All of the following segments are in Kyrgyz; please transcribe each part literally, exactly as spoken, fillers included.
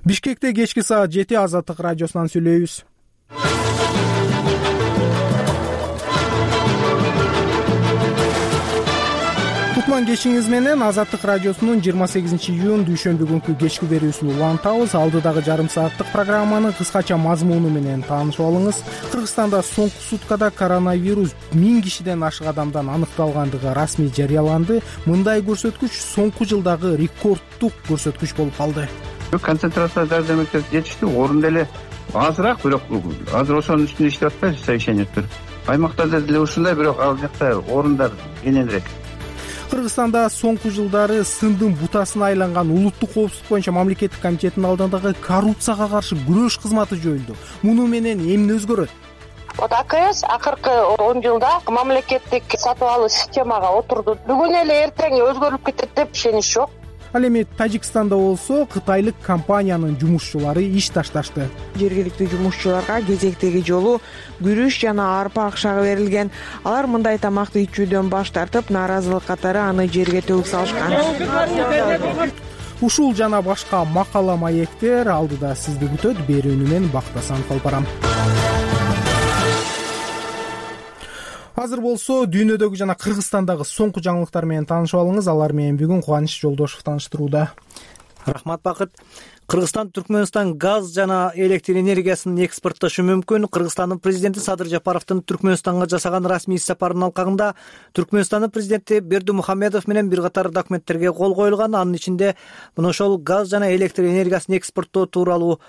Бишкекте кечки саат жети Азаттык радиосунан сүйлөйбүз. Кутман кечиңиз менен Азаттык радиосунун жыйырма сегизинчи июнь дүйшөмбү күнкү кечки берүүсүн улантабыз. Алдыдагы жарым сааттык программаны кыскача мазмуну менен таанышып алыңыз. Кыргызстанда соңку суткада коронавирус миң кишиден ашык адамдан аныкталгандыгы расмий жарыяланды. Мындай көрсөткүч соңку жылдагы рекордтук көрсөткүч болуп калды. Концентрация дәрі-дәрмектер жетишти, орун деле азыраак, бирок азыр ошонун үстүнө иштеп атпайбыз совещаниялар. Аймактарда деле ушундай, бирок ал жакта орундар кененирээк. Кыргызстанда соңку жылдары сындын бутасына айланган улуттук коопсуздук боюнча мамлекеттик комитеттин алдындагы коррупцияга каршы күрөш кызматы жойулду. Муну менен эмне өзгөрөт? Вот АКС акыркы он жылда мамлекеттик сатып алуу системага отурду. Бүгүн эле эртең өзгөрүп кетет деп ишенич жок. Ал эми Тажикстанда болсо кытайлык компаниянын жумушчулары иш ташташты. Жергиликтүү жумушчуларга кезектеги жолу күрүч жана арпа акчагы берилген. Алар мындай тамакты ичүүдөн баш тартып, нааразылык катары аны жерге төгүп салышкан. Ушул жана башка макала маектер алдыда сизди күтөт. Берүүнү мен Бактасан Калпарам. Азыр болсо дүйнөдөгү жана Кыргызстандагы соңку жаңылыктар менен таанышып алыңыз. Алар менен бүгүн Кубаныч Жолдошов тааныштырууда. Рахмат Бакыт. Кыргызстан Түркмөнстан газ жана электр энергиясын экспорттошу мүмкүн. Кыргызстандын президенти Садыр Жапаровдун Түркмөнстанга жасаган расмий сапарынын алкагында Түркмөнстандын президенти Бердимухамедов менен бир катар документтерге кол коюлган. Анын ичинде мына ошол газ жана электр энергиясын экспорттоо тууралуу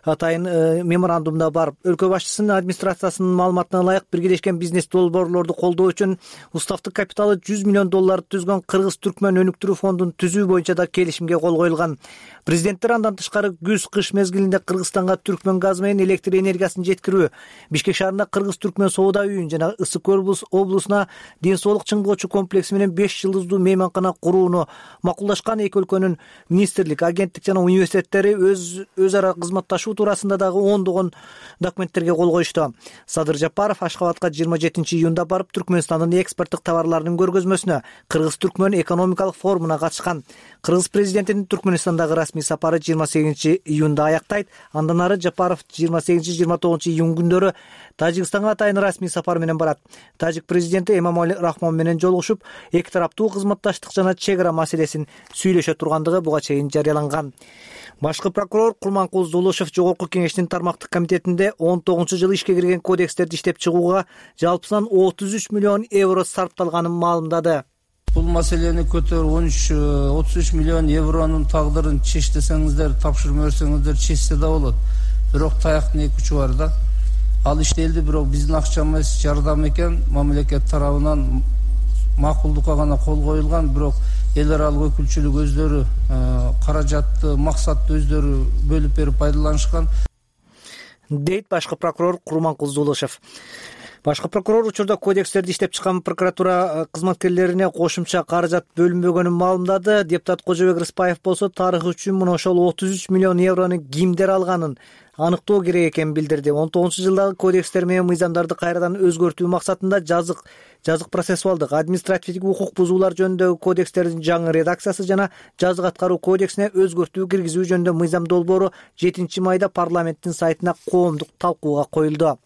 атайын меморандумда бар. Өлкө башчысынын администрациясынын маалыматына ылайык, биргелешкен бизнес долбоорлорду колдоо үчүн уставдык капиталы жүз миллион долларды түзгөн Кыргыз-Түркмөн өнүктүрүү фондун түзүү боюнча да келишимге кол коюлган. Президенттер андан тышкары күз-кыш мезгилинде Кыргызстанга Түркмөн газы менен электр энергиясын жеткирүү, Бишкек шаарында Кыргыз-Түркмөн соода үйүн жана Ысык Көл облусуна ден соолук чыңгоочу комплекси менен беш жылдыздуу мейманкана курууну макулдашкан. Эки өлкөнүн министрлик, агенттик жана университеттери өз өз ара кызматташуу туурасында дагы ондогон документтерге кол коюшту. Садыр Жапаров Ашкабадка жыйырма жетинчи июнда барып, Түркмөнстандын экспорттук товарларынын көргөзмөсүнө, Кыргыз-Түркмөн экономикалык форумуна катышкан. Кыргыз президентинин Түркмөнстандагы расмий сапары жыйырма сегизинчи июнда аяктайт. Андан ары Жапаров жыйырма сегизинчи жыйырма тогузунчу июнь күндөрү Тажикстанга атайын расмий сапар менен барат. Тажик президенти Эмомали Рахмон менен жолугушуп, эки тараптуу кызматташтык жана чек ара маселесин сүйлөшө тургандыгы буга чейин жарыяланган. Башкы прокурор Курманкул Зулушев Жогорку кеңештин тармактык комитетинде он тогузунчу жылы ишке кирген кодекстерди иштеп чыгууга жалпысынан отуз үч миллион евро сарпталганын маалымдады. Бул маселени көтөрүп он үч отуз үч миллион евронун тагдырын чеч десеңиздер, тапшырма берсеңиздер чечсе да болот. Бирок таяктын эки учу бар да. Ал иштелди, бирок биздин акчамыз жардам экен, мамлекет тарабынан макулдукка гана кол коюлган, бирок эл аралык өкүлчүлүк өздөрү каражатты, максатты өздөрү бөлүп берип пайдаланышкан, дейт башкы прокурор Курманкул Зулушев. Башкы прокурор учурда кодекстерди иштеп чыккан прокуратура кызматкерлерине кошумча каражат бөлүнбөгөнүн маалымдады. Депутат Кожобек Рыспаев болсо тарых үчүн мына ошол отуз үч миллион еврону кимдер алганын аныктоо керек экенин билдирди. он тогузунчу жылдагы кодекстер менен мыйзамдарды кайрадан өзгөртүү максатында жазык жазык процессуалдык административдик укук бузуулар жөнүндөгү кодекстердин жаңы редакциясы жана жазык аткаруу кодексине өзгөртүү киргизүү жөнүндө мыйзам долбоору жетинчи майда парламенттин сайтына коомдук талкууга коюлду.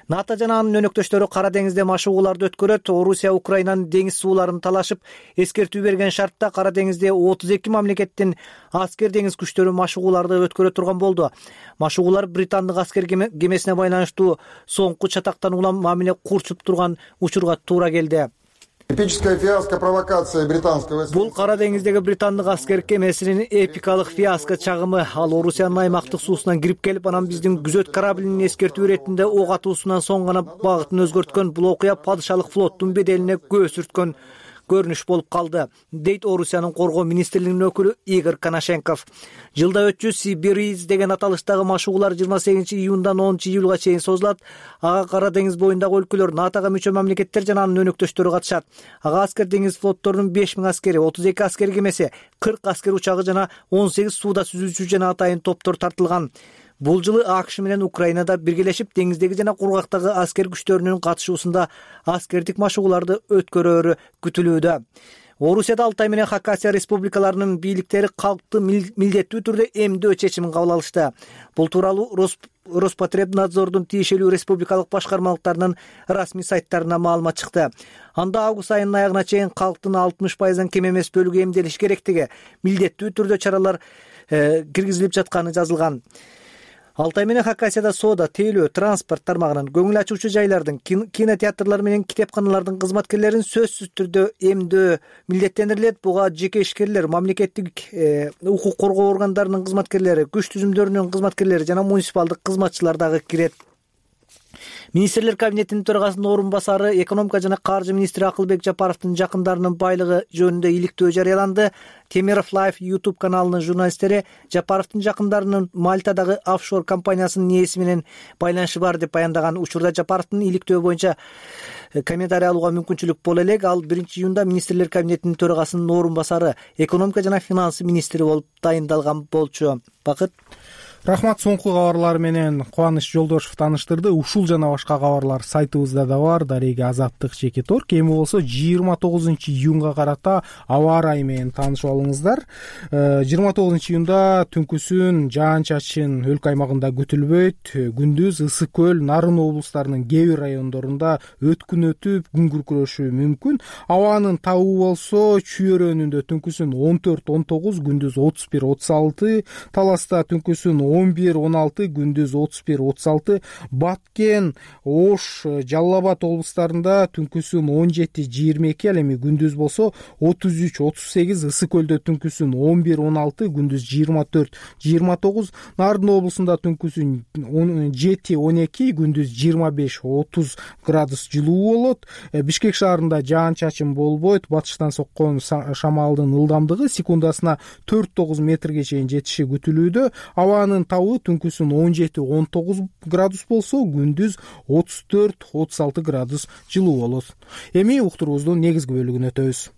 НАТО жана анын өнөктөштөрү Кара деңизде машыгууларды өткөрөт. Орусия Украинанын деңиз сууларын талашып, эскертүү берген шартта Кара деңизде отуз эки мамлекеттин аскер деңиз күчтөрү машыгууларды өткөрө турган болду. Машыгуулар британдык аскер кемесине байланыштуу соңку чатактан улам мамиле курчуп турган учурга туура келди. Эпическая фиаско провокация британского. Бул Кара деңиздеги британдык аскер кемесинин эпикалык фиаско чагымы. Ал Орусиянын аймактык суусунан кирип келип, анан биздин күзөт кораблинин эскертүү иретинде ок атуусунан соң гана багытын өзгөрткөн. Бул окуя падышалык флоттун беделине көз сүрткөн көрүнүш болуп калды, дейт Орусиянын коргоо министрлигинин өкүлү Игорь Коношенков. Жылда өтчү Сибириз деген аталыштагы машыгуулар жыйырма сегизинчи июндан онунчу июлга чейин созулат. Ага Кара деңиз боюндагы өлкөлөр, НАТОга мүчө мамлекеттер жана анын өнөктөштөрү катышат. Ага аскер деңиз флотторунун беш миң аскери, отуз эки аскер кемеси, кырк аскер учагы жана он сегиз сууда сүзүүчү жана атайын топтор тартылган. Бул жылы АКШ менен Украинада биргелешип деңиздеги жана кургактагы аскер күчтөрүнүн катышуусунда аскердик машыгууларды өткөрөөрү күтүлүүдө. Орусияда Алтай менен Хакасия республикаларынын бийликтери калкты милдеттүү түрдө эмдөө чечимин кабыл алышты. Бул тууралуу Роспотребнадзордун тиешелүү республикалык башкармалыктарынын расмий сайттарына маалымат чыкты. Анда август айынын аягына чейин калктын алтымыш пайыздан кем эмес бөлүгү эмделиш керектиги, милдеттүү түрдө чаралар киргизилип жатканы жазылган. Алтай менен Хакасияда соода, тейлөө, транспорт тармагынын, көңүл ачуучу жайлардын, кинотеатрлар менен китепканалардын кызматкерлерин сөзсүз түрдө эмдөө милдеттендирилет. Буга жеке ишкерлер, мамлекеттик укук коргоо органдарынын кызматкерлери, күч түзүмдөрүнүн кызматкерлери жана муниципалдык кызматчылар дагы кирет. Министрлер кабинетинин төрагасынын орун басары, экономика жана каржы министри Акылбек Жапаровдун жакындарынын байлыгы жөнүндө иликтөө жарыяланды. Темиров Live YouTube каналынын журналисттери Жапаровдун жакындарынын Мальтадагы офшор компаниясынын ээси менен байланышы бар деп баяндаган. Учурда Жапаровдун иликтөө боюнча комментарий алууга мүмкүнчүлүк боло элек. Ал биринчи июнда министрлер кабинетинин төрагасынын орун басары, экономика жана финансы министри болуп дайындалган болчу. Бакыт. Рахмат, соңку кабарлар менен Кубаныч Жолдошев тааныштырды. Ушул жана башка кабарлар сайтыбызда да бар. Дареги Азаттык чекит точка орг. Эми болсо жыйырма тогузунчу июнга карата аба ырайы менен таанышып алыңыздар. жыйырма тогузунчу июнда түнкүсүн жаан-чачын өлкө аймагында күтүлбөйт. Күндүз Ысык көл, Нарын облустарынын кээ бир райондорунда өткүн өтүп, күн күркүрөшү мүмкүн. Абанын табы болсо Чүйөрөнүндө түнкүсүн он төрт он тогуз, күндүз отуз бир отуз алты, Таласта түнкүсүн он бир он алты, күндүз отуз бир отуз алты, Баткен, Ош, Жалал Абад облустарында түнкүсүн он жети жыйырма эки, ал эми күндүз болсо отуз үч отуз сегиз, Ысык көлдө түнкүсүн он бир он алты, күндүз жыйырма төрт жыйырма тогуз, Нарын облусунда түнкүсүн он жети он эки, күндүз жыйырма беш отуз градус жылуу болот. Бишкек шаарында жаан-чачын болбойт. Батыштан соккон шамалдын ылдамдыгы секундасына төрт тогуз метрге чейин жетиши күтүлүүдө. Абанын табы түнкүсүн он жети он тогуз градус болсо, күндүз отуз төрт отуз алты градус жылуу болот. Эми уктуруубуздун негизги бөлүгүнө өтөбүз.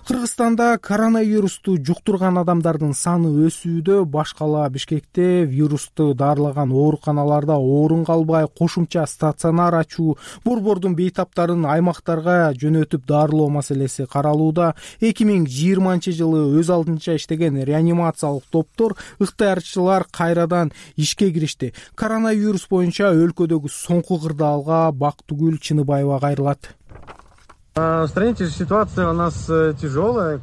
Кыргызстанда коронавирусту жуктурган адамдардын саны өсүүдө. Баш кала Бишкекте вирусту дарылаган ооруканаларда орун калбай кошумча стационар ачуу, борбордун бейтаптарын аймактарга жөнөтүп дарылоо маселеси каралууда. эки миң жыйырманчы жылы өз алдынча иштеген реанимациялык топтор, ыктыярчылар кайрадан ишке киришти. Коронавирус боюнча өлкөдөгү соңку кырдаалга Бактыгүл Чыныбаева кайрылат. В стране ситуация у нас тяжелая.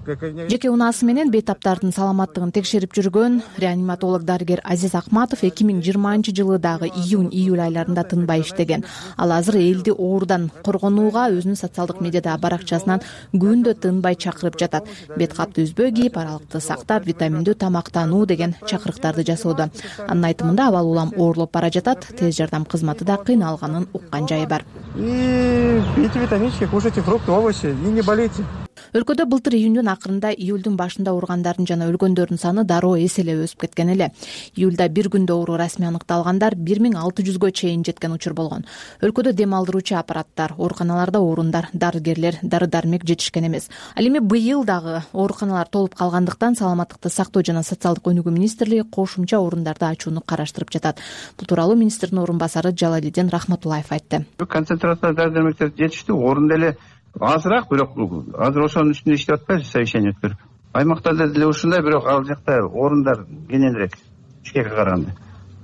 Жеке унаасы менен бейтаптардын саламаттыгын текшерип жүргөн реаниматолог дарыгер Азиз Акматов эки миң жыйырманчы жылы дагы июнь июль айларында тынбай иштеген. Ал азыр элди оорудан коргонууга өзүнүн социалдык медиадагы баракчасынан күндө тынбай чакырып жатат. Бет капты үзбөй кийип, аралыкты сактап, витаминдүү тамактануу деген чакырыктарды жасоодо. Анын айтымында абал улам оорулуп бара жатат. Тез жардам кызматы да кыйналганын уккан жайы бар. И пейте витаминчики, кушайте фрукты, овощи и не болейте. Өлкөдө былтыр июндун акырында, июлдун башында ооругандардын жана өлгөндөрдүн саны дароо эселеп өсүп кеткен эле. Июлда бир күндө оору расмий аныкталгандар бир миң алты жүзгө чейин жеткен учур болгон. Өлкөдө дем алдыруучу аппараттар, ооруканаларда орундар, дарыгерлер, дары-дармек жетишкен эмес. Ал эми быйыл дагы ооруканалар толуп калгандыктан Саламаттыкты сактоо жана социалдык өнүгүү министрлиги кошумча орундарды ачууну караштырып жатат. Бул тууралуу министрдин орун басары Жалалидин Рахматуллаев айтты. Концентрация дары-дармектер жетиштүү, орун деле азыраак, бирок азыр ошонун үстүндө иштеп атпайбыз, совещание өткөрүп. Аймактарда деле ушундай, бирок ал жакта орундар кененирээк Бишкекке караганда.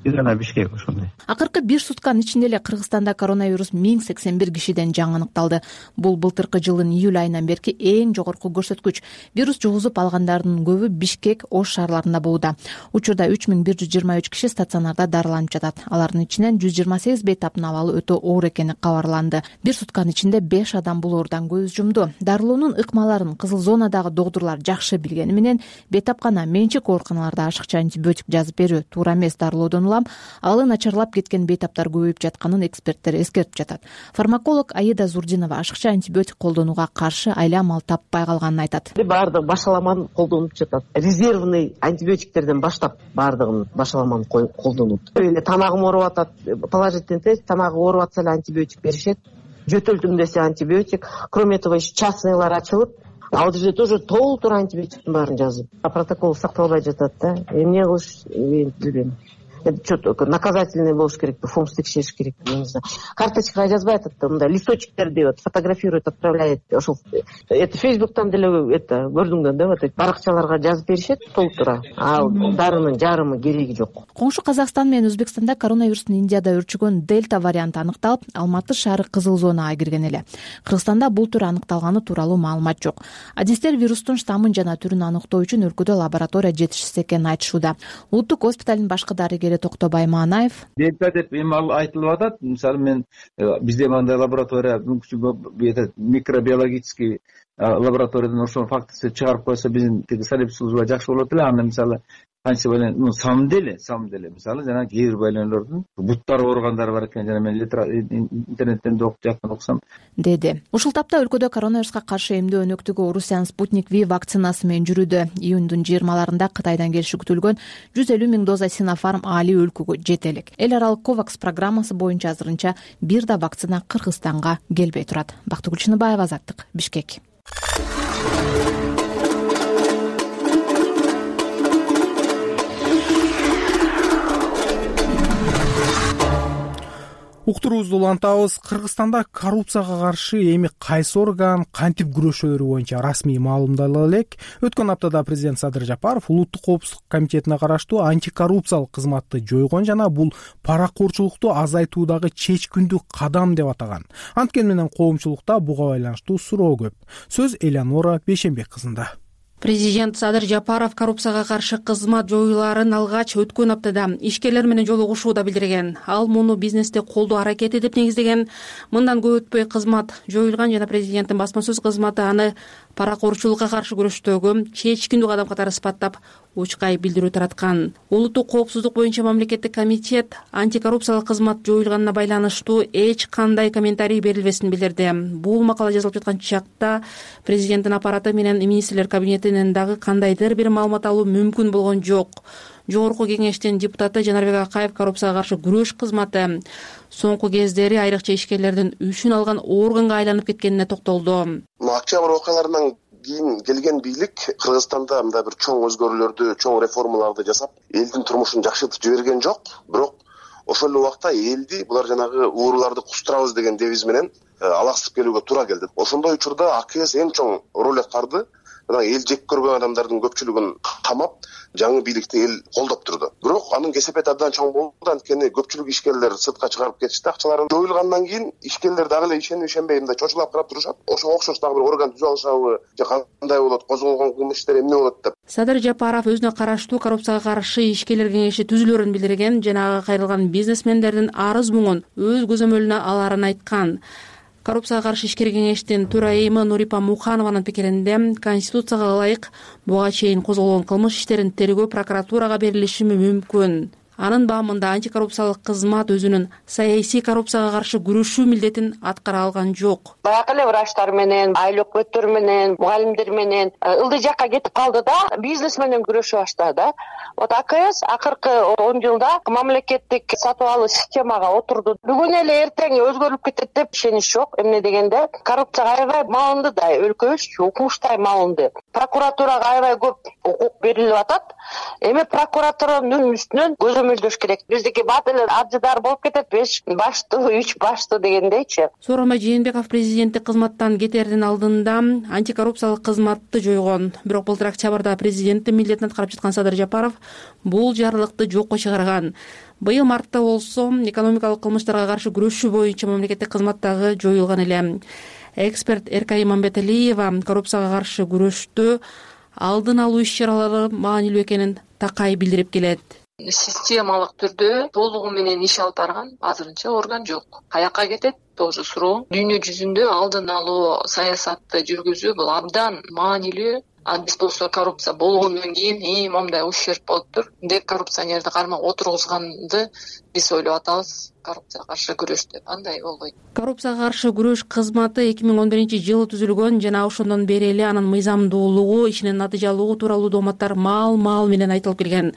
Бир гана Бишкек ошондой. Акыркы бир сутканын ичинде эле Кыргызстанда коронавирус миң сексен бир кишиден жаңы аныкталды. Бул былтыркы жылдын июль айынан берки эң жогорку көрсөткүч. Вирус жугузуп алгандардын көбү Бишкек, Ош шаарларында болууда. Учурда үч миң бир жүз жыйырма үч киши стационарда дарыланып жатат. Алардын ичинен жүз жыйырма сегиз бейтаптын абалы өтө оор экени кабарланды. Бир сутканын ичинде беш адам бул оорудан көз жумду. Дарылоонун ыкмаларын кызыл зонадагы докторлор жакшы билгени менен бейтапкана менчик ооруканаларда ашыкча антибиотик жазып берүү туура эмес. Дарылоодон Алы начарлап кеткен бейтаптар көбөйүп жатканын эксперттер эскертип жатат. Фармаколог Аида Зурдинова ашыкча антибиотик колдонууга каршы айла амал таппай калганын айтат. Баардыгы башаламан колдонуп жатат. Резервный антибиотиктерден баштап баардыгын башаламан колдонут. Эле тамагым ооруп атат, положительный тест, тамагы ооруп атса эле антибиотик беришет. Жөтөлдүм десе антибиотик. Кроме этого, частныйлар ачылып, ал жерде тоже толтура антибиотиктин баарын жазып. Протокол сакталбай жатат да. Эмне кылыш, мен билбейм. что-то наказательный болуш керекпи, фомс текшериш керекпи, не знаю. Карточкага жазбай атат да, мындай листочектер деп фотографирует, отправляет. Ошол это фейсбуктан деле это көрдүң да, вот эти баракчаларга жазып беришет толтура. А дарынын жарымы кереги жок. Коңшу Казакстан менен Өзбекстанда коронавирустун Индияда өрчүгөн дельта варианты аныкталып, Алматы шаары кызыл зонага кирген эле. Кыргызстанда бул түр аныкталганы тууралуу маалымат жок. Адистер вирустун штаммын жана түрүн аныктоо үчүн өлкөдө лаборатория жетишсиз экенин айтышууда. Улуттук госпиталдын башкы дарыгери Токтобай Маанаев: дельта деп эми ал айтылып атат. Мисалы мен бизде мындай лаборатория мүмкүнчүлүгү микробиологический лабораториядан ошол фактысы чыгарып койсо биздин тиги салип служба жакшы болот эле. Анда мисалы канча байлан, ну самым деле, самым деле мисалы жана кээ бир байланулордун буттары ооругандары бар экен. Жана мен интернеттен да окуп жаккан окусам деди. Ушул тапта өлкөдө коронавируска каршы эмдөө өнөктүгү Орусиянын Спутник V вакцинасы менен жүрүүдө. Июндун жыйырмаларында Кытайдан келиши күтүлгөн жүз элүү миң доза Синофарм али өлкөгө жете элек. Эл аралык Ковакс программасы боюнча азырынча бир да вакцина Кыргызстанга келбей турат. Бактыгүл Чыныбаева, Азаттык, Бишкек. Уктуруубузду улантабыз. Кыргызстанда коррупцияга каршы эми кайсы орган кантип күрөшөөрү боюнча расмий маалымдала элек. Өткөн аптада президент Садыр Жапаров Улуттук коопсуздук комитетине караштуу антикоррупциялык кызматты жойгон жана бул паракорчулукту азайтуудагы чечкиндүү кадам деп атаган. Анткени менен коомчулукта буга байланыштуу суроо көп. Сөз Элеонора Бейшенбек кызында. Президент Садыр Жапаров коррупцияга каршы кызмат жоюларын алгач өткөн аптада ишкерлер менен жолугушууда билдирген. Ал муну бизнесте колдоо аракети деп негиздеген. Мындан көп өтпөй кызмат жоюлган жана президенттин басма сөз кызматы аны паракорчулукка каршы күрөштөгү чечкиндүү кадам катары сыпаттап учкай билдирүү тараткан. Улуттук коопсуздук боюнча мамлекеттик комитет антикоррупциялык кызмат жоюлганына байланыштуу эч кандай комментарий берилбесин билдирди. Бул макала жазылып жаткан чакта президенттин аппараты менен министрлер кабинетинен дагы кандайдыр бир маалымат алуу мүмкүн болгон жок. Жогорку кеңештин депутаты Жанарбек Акаев коррупцияга каршы күрөш кызматы соңку кездери айрыкча ишкерлердин үчүн алган органга айланып кеткенине токтолду. Октябрь окуяларынан кийин келген бийлик Кыргызстанда мындай бир чоң өзгөрүүлөрдү, чоң реформаларды жасап, элдин турмушун жакшыртып жиберген жок. Бирок ошол эле убакта элди булар жанагы ууруларды кустурабыз деген девиз менен алаксытып келүүгө туура келди. Ошондой учурда АКС эң чоң роль аткарды. Эл жек көргөн адамдардын көпчүлүгүн камап, жаңы бийликти эл колдоп турду. Бирок анын кесепети абдан чоң болду. Анткени көпчүлүк ишкерлер сыртка чыгарып кетишти акчаларын. Жоюлгандан кийин ишкерлер дагы эле ишенип ишенбей мындай чочулап карап турушат. Ошого окшош дагы бир орган түзүп алышабы, же кандай болот, козголгон кылмыш иштери эмне болот деп. Садыр Жапаров өзүнө караштуу коррупцияга каршы ишкерлер кеңеши түзүлөрүн билдирген жана ага кайрылган бизнесмендердин арыз муңун өз көзөмөлүнө аларын айткан. Коррупцияга каршы ишкер кеңештин төрайымы Нурипа Муханованын пикиринде Конституцияга ылайык буга чейин козголгон кылмыш иштерин тергөө прокуратурага берилиши мүмкүн. Анын баамында антикоррупциялык кызмат өзүнүн саясий коррупцияга каршы күрөшүү милдетин аткара алган жок. Баягы эле врачтар менен, айыл өкмөттөр менен, мугалимдер менен ылдый жакка кетип калды да, бизнес менен күрөшүп баштады да. Вот АКС акыркы он жылда мамлекеттик сатып алуу системага отурду. Бүгүн эле эртең өзгөрүлүп кетет деп ишенич жок. Эмне дегенде коррупцияга аябай малынды да, өлкөбүз укмуштай малынды. Прокуратурага аябай көп укук берилип атат. Эми прокуратуранын үстүнөн көзөмөлдөш керек. Биздики бат эле аржыдар болуп кетет, беш баштуу, үч баштуу дегендейчи. Сооронбай Жээнбеков президенттик кызматтан кетердин алдында антикоррупциялык кызматты жойгон. Бирок былтыр октябрда президенттин милдетин аткарып жаткан Садыр Жапаров бул жарлыкты жокко чыгарган. Быйыл мартта болсо экономикалык кылмыштарга каршы күрөшүү боюнча мамлекеттик кызматтагы жоюлган эле. Эксперт Эркай Мамбеталиева коррупцияга каршы күрөштө алдын алуу иш-чаралары маанилүү экенин такай билдирип келет. Системалык түрдө толугу менен иш алып барган азырынча орган жок. Каяка кетет? Тоже суроо. Дүйнө жүзүндө алдын алуу саясатты жүргүзүү бул абдан маанилүү. Биз болсо коррупция болгондон кийин и момундай ущерб болуптур деп коррупционерди кармак отургузганды биз ойлоп атабыз. Коррупцияга каршы күрөш деп андай болбойт. Коррупцияга каршы күрөш кызматы эки миң он биринчи жылы түзүлгөн жана ошондон бери эле анын мыйзамдуулугу, ишинин натыйжалуулугу тууралуу дооматтар маал-маал менен айтылып келген.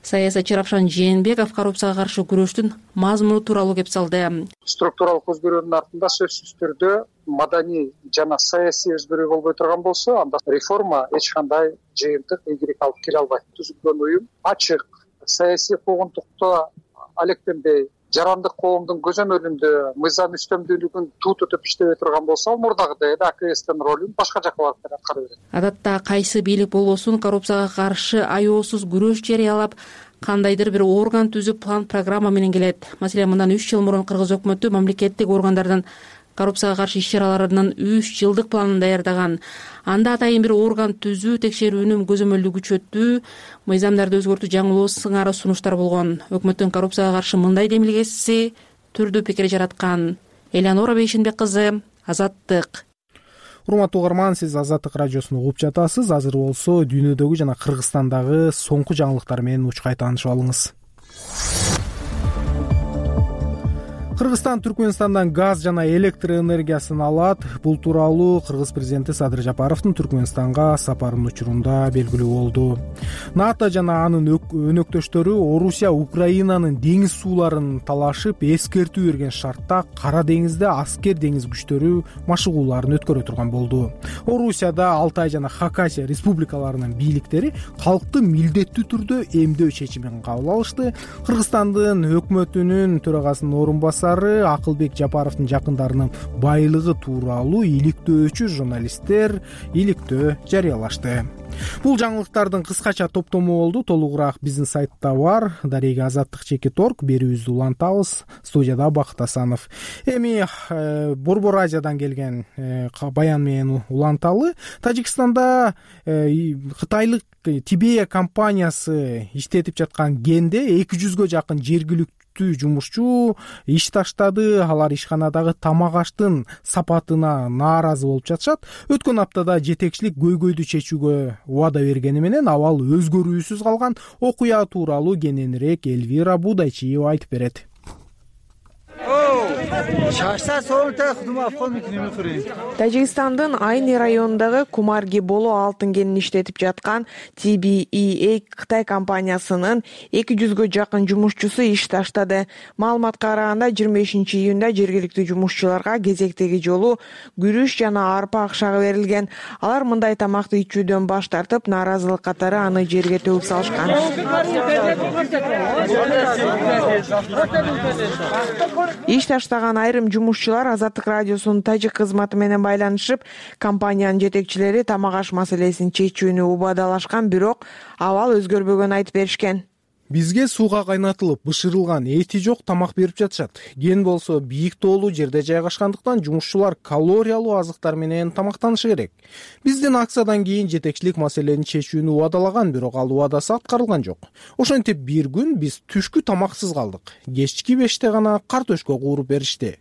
Саясатчы Равшан Жээнбеков коррупцияга каршы күрөштүн мазмуну тууралуу кеп салды. Структуралык өзгөрүүнүн артында сөзсүз түрдө маданий жана саясий өзгөрүү болбой турган болсо, анда реформа эч кандай жыйынтык ийгилик алып келе албайт. Түзүлгөн уюм ачык, саясий куугунтукту алектенбей жарандык коомдун көзөмөлүндө мыйзам үстөмдүүлүгүн туу туруп иштебей турган болсо мурдагыдай эле АКСтин ролун башка жакка барып аткара берет. Адатта кайсы бийлик болбосун коррупцияга каршы аеосуз күрөш жарыялап кандайдыр бир орган түзүп план программа менен келет. Маселен, мындан үч жыл мурун кыргыз өкмөтү мамлекеттик органдардын коррупцияга каршы иш-чараларынын үч жылдык планын даярдаган. Анда атайын бир орган түзүү, текшерүүнүн көзөмөлдү күчөтүү, мыйзамдарды өзгөртүү жаңылоо сыңары сунуштар болгон. Өкмөттүн коррупцияга каршы мындай демилгеси түрдүү пикир жараткан. Элеонора Бейшенбек кызы, Азаттык. Урматтуу угарман, сиз Азаттык радиосун угуп жатасыз. Азыр болсо дүйнөдөгү жана Кыргызстандагы соңку жаңылыктар менен учкай таанышып алыңыз. Кыргызстан Түркмөнстандан газ жана электр энергиясын алат. Бул тууралуу Кыргыз президенти Садыр Жапаровдун Түркмөнстанга сапарынын учурунда белгилүү болду. НАТО жана анын өнөктөштөрү Орусия Украинанын деңиз сууларын талашып, эскертүү берген шартта Кара деңизде аскер деңиз күчтөрү машыгууларын өткөрө турган болду. Орусияда Алтай жана Хакасия республикаларынын бийликтери калкты милдеттүү түрдө эмдөө чечимин кабыл алышты. Кыргызстандын өкмөтүнүн төрагасынын орун басары Акылбек Жапаровдун жакындарынын байлыгы тууралуу иликтөөчү журналисттер иликтөө жарыялашты. Бул жаңылыктардын кыскача топтому болду. Толугураак биздин сайтта бар. Дарега азаттык чекит точка орг. Берүүбүздү улантабыз. Студияда Бакыт Асанов. Эми э, Борбор Азиядан келген э, баян менен уланталы. Тажикстанда э, кытайлык Тибея компаниясы иштетип жаткан генде эки жүзгө жакын жергиликтүү жумушчу иш таштады. Алар ишканадагы тамак аштын сапатына нааразы болуп жатышат. Өткөн аптада жетекчилик көйгөйдү чечүүгө убада бергени менен абал өзгөрүүсүз калган. Окуя тууралуу кененирээк Эльвира Будайчиева айтып берет. Тажикстандын Айни районундагы Кумарги боло алтын кенин иштетип жаткан Ти Би И Эй Кытай компаниясынын эки жүзгө жакын жумушчусу иш таштады. Маалыматка караганда жыйырма бешинчи июнда жергиликтүү жумушчуларга кезектеги жолу күрүч жана арпа акчагы берилген. Алар мындай тамакты ичүүдөн баш тартып, нааразылык катары аны жерге төгүп салышкан. Иш таштаган айрым жумушчулар Азаттык радиосунун тажик кызматы менен байланышып, компаниянын жетекчилери тамак аш маселесин чечүүнү убадалашкан, бирок абал өзгөрбөгөнүн айтып беришкен. Бизге сууга кайнатылып, бышырылган, эти жок тамак берип жатышат. Ген болсо бийик тоолуу жерде жайгашкандыктан жумушчулар калориялуу азыктар менен тамактанышы керек. Биздин акциядан кийин жетекчилик маселени чечүүнү убадалаган, бирок ал убадасы аткарылган жок. Ошентип бир күн биз түшкү тамаксыз калдык. Кечки беште гана картөшкө кууруп беришти,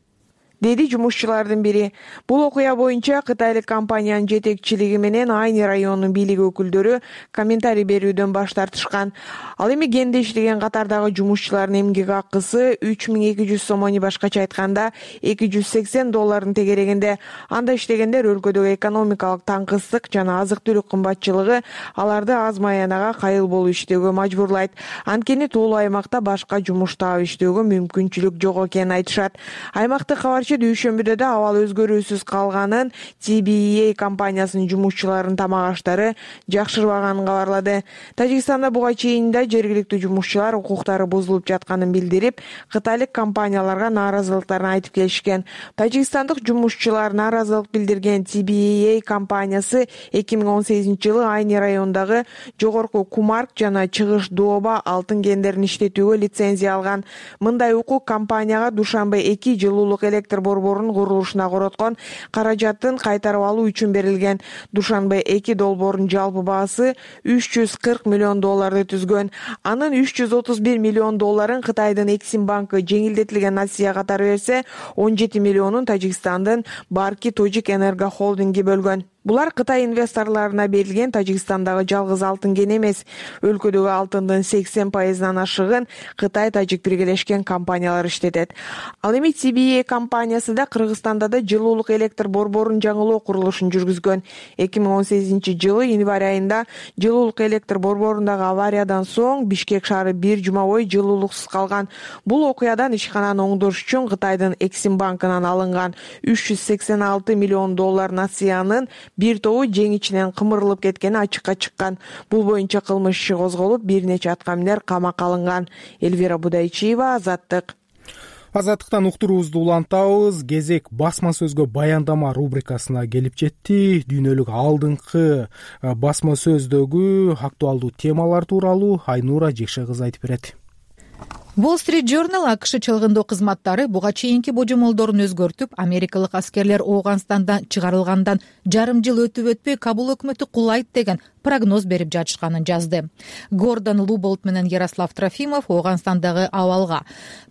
деди жумушчулардын бири. Бул окуя боюнча кытайлык компаниянын жетекчилиги менен Айни районунун бийлик өкүлдөрү комментарий берүүдөн баш тартышкан. Ал эми генде иштеген катардагы жумушчулардын эмгек акысы үч миң эки жүз сомону, башкача айтканда эки жүз сексен доллардын тегерегинде. Анда иштегендер өлкөдөгү экономикалык таңкыстык жана азык түлүк кымбатчылыгы аларды аз маянага кайыл болуп иштөөгө мажбурлайт. Анткени тоолуу аймакта башка жумуш таап иштөөгө мүмкүнчүлүк жок экенин айтышат. Аймактык кабар дүйшөмбүдө да абал өзгөрүүсүз калганын, Ти Би И Эй компаниясынын жумушчуларынын тамак аштары жакшырбаганын кабарлады. Тажикстанда буга чейин да жергиликтүү жумушчулар укуктары бузулуп жатканын билдирип, кытайлык компанияларга нааразылыктарын айтып келишкен. Тажикстандык жумушчулар нааразылык билдирген Ти Би И Эй компаниясы эки миң он сегизинчи жылы Айни районундагы жогорку Кумарг жана чыгыш Дооба алтын кендерин иштетүүгө лицензия алган. Мындай укук компанияга Душанбе эки жылуулук электр борборунун курулушуна короткон каражатын кайтарып алуу үчүн берилген. Душанбе эки долбоорунун жалпы баасы үч жүз кырк миллион долларды түзгөн. Анын үч жүз отуз бир миллион долларын Кытайдын Эксим банкы жеңилдетилген нация катары берсе, он жети миллионун Тажикстандын Барки Тожик Энерго холдинги бөлгөн. Булар Кытай инвесторлоруна берилген Тажикстандагы жалгыз алтын кен эмес. Өлкөдөгү алтындын сексен пайызынан ашыгын Кытай-Тажик биргелешкен компаниялар иштетет. Ал эми Ти Би И Эй компаниясы да Кыргызстанда да жылуулук электр борборунун жаңылоо курулушун жүргүзгөн. эки миң он сегизинчи жылы январь айында жылуулук электр борборундагы авариядан соң Бишкек шаары бир жума бою жылуулуксуз калган. Бул окуядан ишкананы оңдош үчүн Кытайдын Эксим банкынан алынган үч жүз сексен алты миллион доллар нациянын бир тобу жең ичинен кымырылып кеткени ачыкка чыккан. Бул боюнча кылмыш иши козголуп, бир нече аткаминер камакка алынган. Элвира Будайчиева, Азаттык. Азаттыктан уктуруубузду улантабыз. Кезек басма сөзгө баяндама рубрикасына келип жетти. Дүйнөлүк алдыңкы басма сөздөгү актуалдуу темалар тууралуу Айнура Жекше кызы айтып берет. Wall Street Journal АКШ чалгындоо кызматтары буга чейинки божомолдорун өзгөртүп, америкалык аскерлер Ооганстандан чыгарылгандан жарым жыл өтүп өтпөй Кабул өкмөтү кулайт деген прогноз берип жатышканын жазды. Гордон Луболт менен Ярослав Трофимов Ооганстандагы абалга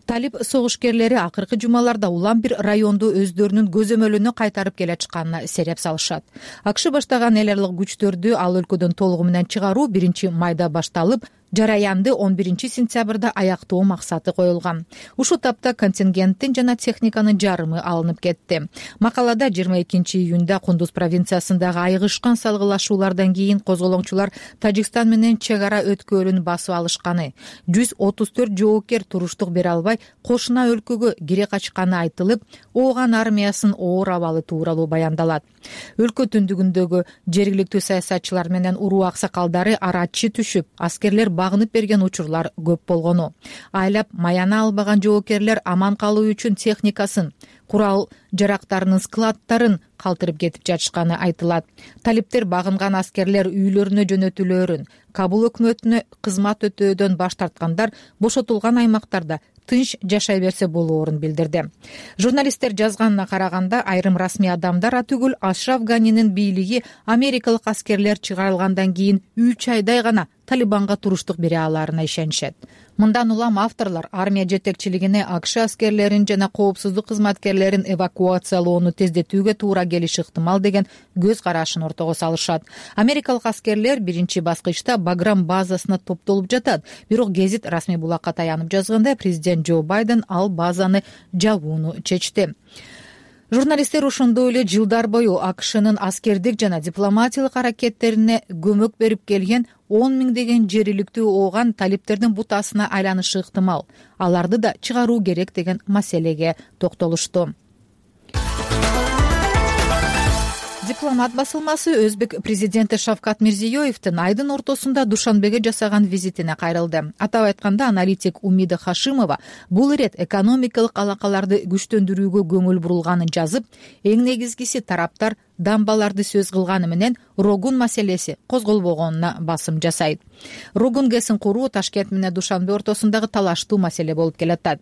талиб согушкерлери акыркы жумаларда улам бир районду өздөрүнүн көзөмөлүнө кайтарып келе жатканына сереп салышат. АКШ баштаган эл аралык күчтөрдү ал өлкөдөн толугу менен чыгаруу биринчи майда башталып, жараянды он биринчи сентябрда аяктоо максаты коюлган. Ушул тапта контингенттин жана техниканын жарымы алынып кетти. Макалада жыйырма экинчи июнда Кундуз провинциясындагы айгышкан салгылашуулардан кийин козголоңчулар Тажикстан менен чек ара өткөлүн басып алышканы, жүз отуз төрт жоокер туруштук бере албай кошуна өлкөгө кире качканы айтылып, Ооган армиясынын оор абалы тууралуу баяндалат. Өлкө түндүгүндөгү жергиликтүү саясатчылар менен уруу аксакалдары арачы түшүп, аскерлер багынып берген учурлар көп болгону. Айлап маяна албаган жоокерлер аман калуу үчүн техникасын, курал жарактарынын складтарын калтырып кетип жатышканы айтылат. Талиптер багынган аскерлер үйлөрүнө жөнөтүлөөрүн, Кабул өкмөтүнө кызмат өтөөдөн баш тарткандар бошотулган аймактарда тынч жашай берсе болоорун билдирди. Журналисттер жазганына караганда, айрым расмий адамдар түгүл Ашраф Ганинин бийлиги америкалык аскерлер чыгарылгандан кийин үч айдай гана Талибанга туруштук бере аларына ишенишет. Мындан улам авторлор армия жетекчилигине АКШ аскерлерин жана коопсуздук кызматкерлерин эвакуациялоону тездетүүгө туура келиши ыктымал деген көз карашын ортого салышат. Америкалык аскерлер биринчи баскычта Баграм базасына топтолуп жатат. Бирок гезит расмий булакка таянып жазганда, президент Джо Байден ал базаны жабууну чечти. Журналисттер ошондой эле жылдар бою АКШнын аскердик жана дипломатиялык аракеттерине көмөк берип келген он миңдеген жериликтүү ооган талиптердин бутасына айланышы ыктымал. Аларды да чыгаруу керек деген маселеге токтолушту. Дипломат басылмасы Өзбек президенти Шавкат Мирзиёевдин айдын ортосунда Душанбеге жасаган визитине кайрылды. Атап айтканда, аналитик Умида Хашимова бул ирет экономикалык алакаларды күчтөндүрүүгө көңүл бурулганын жазып, эң негизгиси тараптар дамбаларды сөз кылганы менен Рогун маселеси козголбогонуна басым жасайт. Рогун гэсин куруу Ташкент менен Душанбе ортосундагы талаштуу маселе болуп келатат.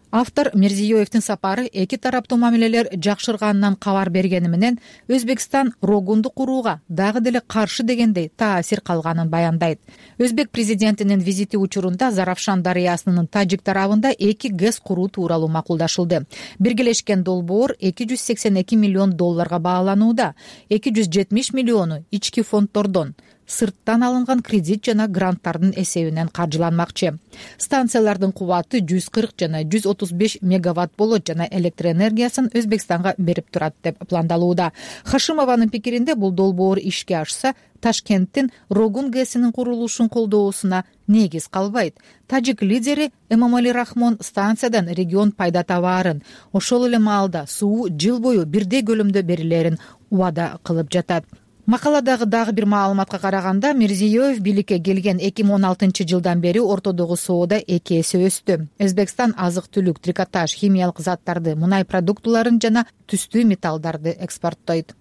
Автор Мирзиёевдин сапары эки тараптуу мамилелер жакшырганынан кабар бергени менен Өзбекстан Рогунду курууга дагы деле каршы дегендей таасир калганын баяндайт. Өзбек президентинин визити учурунда Заравшан дарыясынын тажик тарабында эки ГЭС куруу тууралуу макулдашылды. Биргелешкен долбоор эки жүз сексен эки миллион долларга бааланууда. эки жүз жетимиш миллиону ички фонддордон, сырттан алынган кредит жана гранттардын эсебинен каржыланмакчы. Станциялардын кубаты жүз кырк жана жүз отуз беш мегаватт болот жана электр энергиясын Өзбекстанга берип турат деп пландалууда. Хашимованын пикиринде, бул долбоор ишке ашса, Ташкенттин Рогун ГЭСинин курулушун колдоосуна негиз калбайт. Тажик лидери Эмомали Рахмон станциядан регион пайда табаарын, ошол эле маалда суу жыл бою бирдей көлөмдө берилерин убада кылып жатат. Макаладагы дагы бир маалыматка караганда, Мирзиёев бийликке келген эки миң он алтынчы жылдан бери ортодогу соода эки эсе өстү. Өзбекстан азык-түлүк, трикотаж, химиялык заттарды, мунай продуктуларын жана түстүү металлдарды экспорттойт.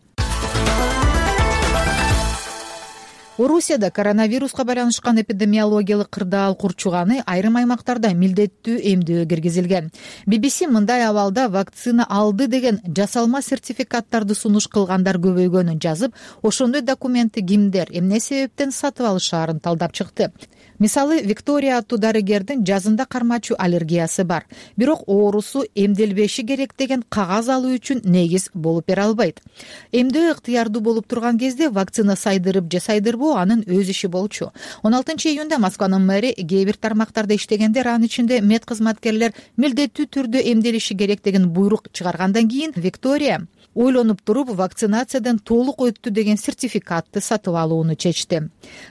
Орусияда коронавируска байланышкан эпидемиологиялык кырдаал курчуганы айрым аймактарда милдеттүү эмдөө киргизилген. би би си мындай абалда вакцина алды деген жасалма сертификаттарды сунуш кылгандар көбөйгөнүн жазып, ошондой документти кимдер, эмне себептен сатып алышаарын талдап чыкты. Мисалы, Виктория аттуу дарыгердин жазында кармачу аллергиясы бар. Бирок оорусу эмделбеши керек деген кагаз алуу үчүн негиз болуп бере албайт. Эмдөө ыктыярдуу болуп турган кезде вакцина сайдырып же сайдырбоо анын өз иши болчу. он алтынчы июнда Москванын мэри кээ бир тармактарда иштегендер, анын ичинде мед кызматкерлер милдеттүү түрдө эмделиши керек деген буйрук чыгаргандан кийин Виктория ойлонуп туруп вакцинациядан толук өттү деген сертификатты сатып алууну чечти.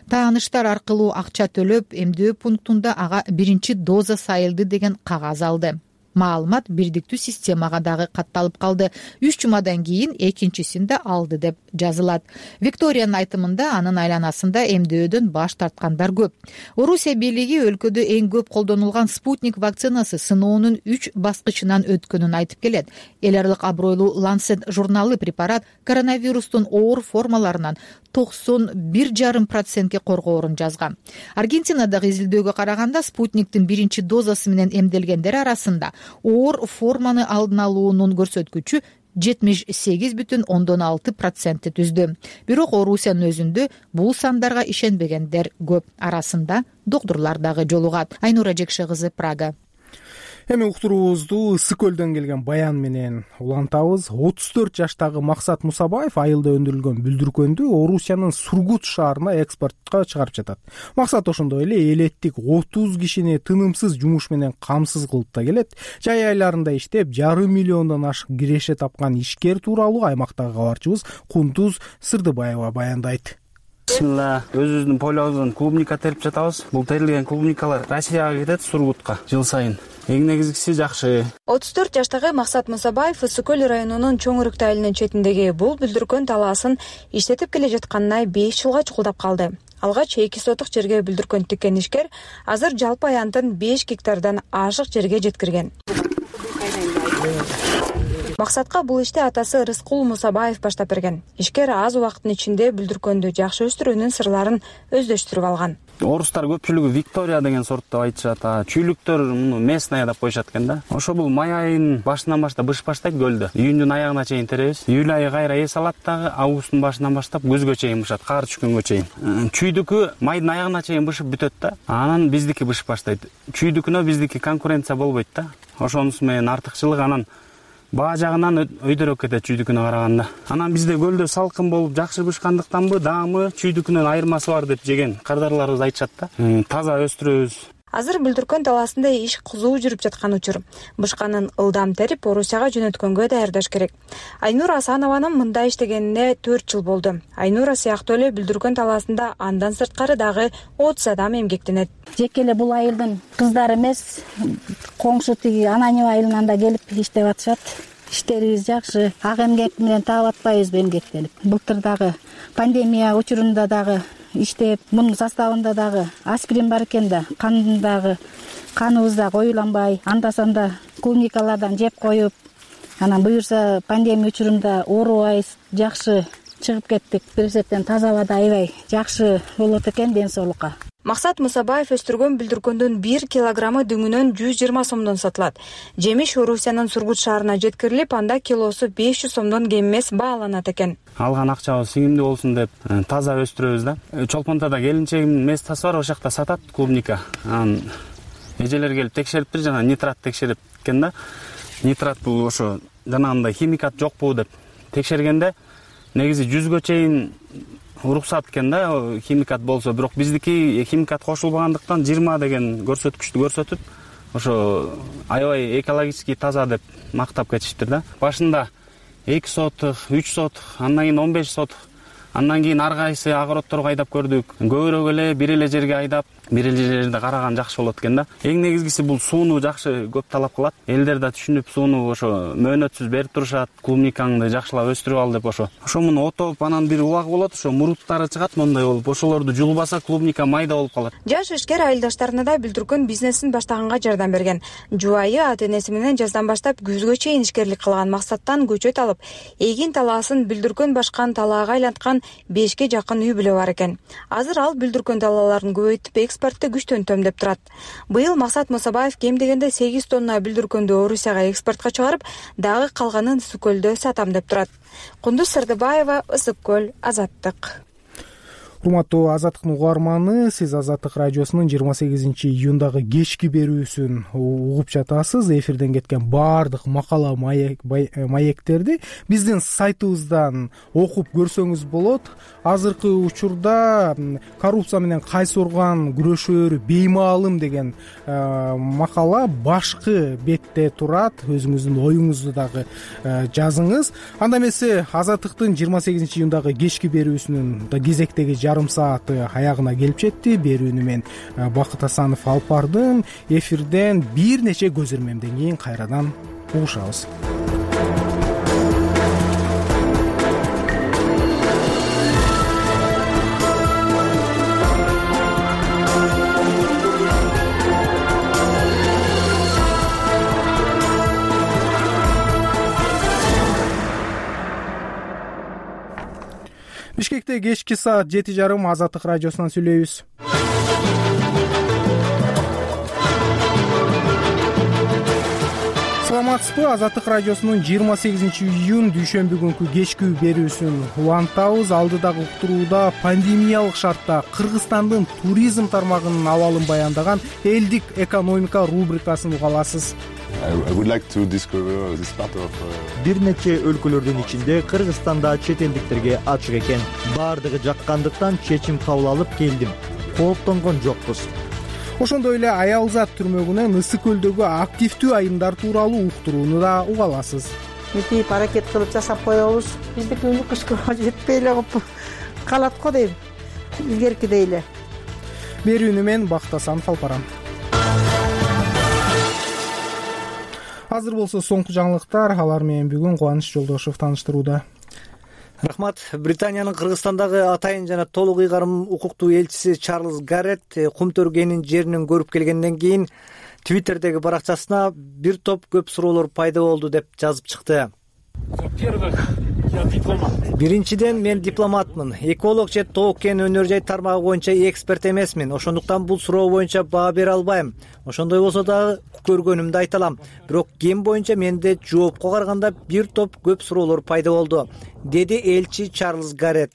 Тааныштар аркылуу акча төлөп, эмдөө пунктунда ага биринчи доза сайылды деген кагаз алды. маалымат бирдиктүү системага дагы катталып калды. Үч жумадан кийин экинчисин да алды деп жазылат. Викториянын айтымында анын айланасында эмдөөдөн баш тарткандар көп. Орусия бийлиги өлкөдө эң көп колдонулган спутник вакцинасы сыноонун үч баскычынан өткөнүн айтып келет. Эл аралык абройлуу Lancet журналы препарат коронавирустун оор формаларынан токсон бир жарым процентке коргоорун жазган. Аргентинадагы изилдөөгө караганда спутниктин биринчи дозасы менен эмделгендер арасында оор форманы алдын алуунун көрсөткүчү жетимиш сегиз бүтүн ондон алты процентти түздү. Бирок Орусиянын өзүндө бул сандарга ишенбегендер көп. Арасында доктурлар дагы жолугат. Айнура Жекше кызы, Прага. Эми уктуруубузду Ысык көлдөн келген баян менен улантабыз. отуз төрт жаштагы Максат Мусабаев айылда өндүрүлгөн бүлдүркөндү Орусиянын Сургут шаарына экспортко чыгарып жатат. Максат ошондой эле элеттик отуз кишини тынымсыз жумуш менен камсыз кылып да келет. Жай айларында иштеп, жарым миллиондон ашык киреше тапкан ишкер тууралуу аймактагы кабарчыбыз Кундуз Сырдыбаева баяндайт. Бисмилла, өзүбүздүн полебуздон клубника терип жатабыз. Бул терилген клубникалар Россияга кетет, Сургутка жыл сайын. Эң негизгиси жакшы. отуз төрт жаштагы Максат Мусабаев Ысык көл районунун Чоң Өрүктү айылынын четиндеги бул бүлдүркөн талаасын иштетип келе жатканына беш жылга чукулдап калды. Алгач эки сотук жерге бүлдүркөн тиккен ишкер азыр жалпы аянтын беш гектардан ашык жерге жеткирген. Максатка бул ишти атасы Рыскул Мусабаев баштап берген. Ишкер аз убакыттын ичинде бүлдүркөндү жакшы өстүрүүнүн сырларын өздөштүрүп алган. Орустар көпчүлүгү Виктория деген сорт деп айтышат. Чүйлүктөр муну местная деп коюшат экен да. Ошо бул май айынын башынан баштап быш баштайт көлдө. Июндун аягына чейин теребиз. Июль айы кайра эс алат дагы, августтун башынан баштап күзгө чейин бышат, кар түшкөнгө чейин. Чүйдүкү майдын аягына чейин бышып бүтөт да. Анан биздики быш баштайт. Чүйдүкүнө биздики конкуренция болбойт да. Ошонусу менен артыкчылык анан баа жагынан өйдөрөөк кетет чүйдүкүнө караганда. Анан бизде көлдө салкын болуп жакшы бышкандыктанбы, даамы чүйдүкүнөн айырмасы бар деп жеген кардарларыбыз айтышат да. Таза өстүрөбүз. Азыр бүлдүркөн талаасында иш кызуу жүрүп жаткан учур. Бышканын ылдам терип Орусияга жөнөткөнгө даярдаш керек. Айнура Асанованын мында иштегенине төрт жыл болду. Айнура сыяктуу эле бүлдүркөн талаасында андан сырткары дагы отуз адам эмгектенет. Жеке эле бул айылдын кыздары эмес, коңшу тиги Ананева айылынан да келип иштеп атышат. Иштерибиз жакшы. Ак эмгек менен таап атпайбызбы эмгектелип. Былтыр дагы пандемия учурунда дагы иштеп, мунун составында дагы аспирин бар экен да, кандагы каныбыз да коюланбай, анда-санда клубникалардан жеп коюп, анан буюрса пандемия учурунда оорубайбыз, жакшы чыгып кеттик. Бир сеттен таза абада аябай жакшы болот экен ден соолукка. Максат Мусабаев өстүргөн бүлдүркөндүн бир килограммы дүңүнөн жүз жыйырма сомдон сатылат. Жемиш Орусиянын Сургут шаарына жеткирилип, анда килосу беш жүз сомдон кем эмес бааланат экен. Алган акчабыз сиңимдүү болсун деп таза өстүрөбүз да. Чолпонтада келинчегимдин местасы бар, ошол жакта сатат клубника. Анан эжелер келип текшериптир, жана нитрат текшерип экен да. Нитрат бул ошо жанагындай химикат жокпу деп текшергенде негизи жүзгө чейин уруксат экен да, химикат болсо, бирок биздики химикат кошулбагандыктан жыйырма деген көрсөткүчтү көрсөтүп, ошо аябай экологически таза деп мактап кетиштир да. Башында эки сотук, үч сотук, андан кийин он беш сотук, андан кийин ар кайсы огородторго айдап көрдүк. Көбүрөөк эле бир эле жерге айдап, бир эле жерде караган жакшы болот экен да. Эң негизгиси бул сууну жакшы көп талап кылат. Элдер да түшүнүп сууну ошо мөөнөтсүз берип турушат. Клубникаңды жакшылап өстүрүп ал деп ошо. Ошо муну отоп, анан бир убак болот, ошо муруттары чыгат мондай болуп. Ошолорду жулбаса клубника майда болуп калат. Жаш ишкер айылдаштарына да бүлдүркөн бизнесин баштаганга жардам берген. Жубайы ата-энеси менен жаздан баштап күзгө чейин ишкерлик кылган Максаттан көчөт алып, эгин талаасын бүлдүркөн башкан талаага айланткан бешке жакын үй бүлө бар экен. Азыр ал бүлдүркөн талааларын көбөйтүп экспортты күчтөнтөм деп турат. Быйыл Максат Мусабаев кем дегенде сегиз тонна бүлдүркөндү Орусияга экспортко чыгарып, дагы калганын Ысык көлдө сатам деп турат. Кундуз Сырдыбаева, Ысык көл, Азаттык. Урматтуу Азаттыктын угарманы, сиз Азаттык радиосунун жыйырма сегизинчи июндагы кечки берүүсүн угуп жатасыз. Эфирден кеткен баардык макала маектерди биздин сайтыбыздан окуп көрсөңүз болот. Азыркы учурда коррупция менен кайсы орган күрөшөөрү беймаалым деген макала башкы бетте турат. Өзүңүздүн оюңузду дагы жазыңыз. Анда эмесе Азаттыктын жыйырма сегизинчи июндагы кечки берүүсүнүн да кезектеги жарым сааты аягына келип жетти. Берүүнү мен Бакыт Асанов алып бардым. Эфирден бир нече көзөрмөмдөн кийин кайрадан угушабыз. Бишкекте кечки саат жети жарым Азаттык радиосунан сүйлөйбүз. Саламатсызбы? Азаттык радиосунун жыйырма сегизинчи июнь дүйшөмбү күнкү кечки берүүсүн улантабыз. Алдыдагы уктурууда пандемиялык шартта Кыргызстандын туризм тармагынын абалын баяндаган элдик экономика рубрикасын уга аласыз. Бир нече өлкөлөрдүн ичинде Кыргызстанда чет элдиктерге ачык экен. Бардыгы жаккандыктан чечим кабыл алып келдим. Кооптонгон жокпуз. Ошондой эле Аялзат түрмөгүнөн Ысык көлдөгү активдүү айымдар тууралуу уктурууну да уга аласыз. Митип аракет кылып жасап коебуз. Биздики уну кышкырга жетпей эле калат го дейм. Илгеркидей эле. Берүүнү мен Бакыт Асанов алып барам. Азыр болсо соңку жаңылыктар, алар менен бүгүн Кубаныч Жолдошов тааныштырууда. Рахмат. Британиянын Кыргызстандагы атайын жана толук ыйгарым укуктуу элчиси Чарльз Гарретт Кумтөргенин жеринен көрүп келгенден кийин Твиттердеги баракчасына бир топ көп суроолор пайда болду деп жазып чыкты. Биринчиден, мен дипломатмын. Эколог же тоок кен өнөр жай тармагы боюнча эксперт эмесмин. Ошондуктан бул суроо боюнча баа бере албайм. Ошондой болсо дагы көргөнүмдү айта алам. Бирок кен боюнча менде жоопко караганда бир топ көп суроолор пайда болду, деди элчи Чарльз Гарретт.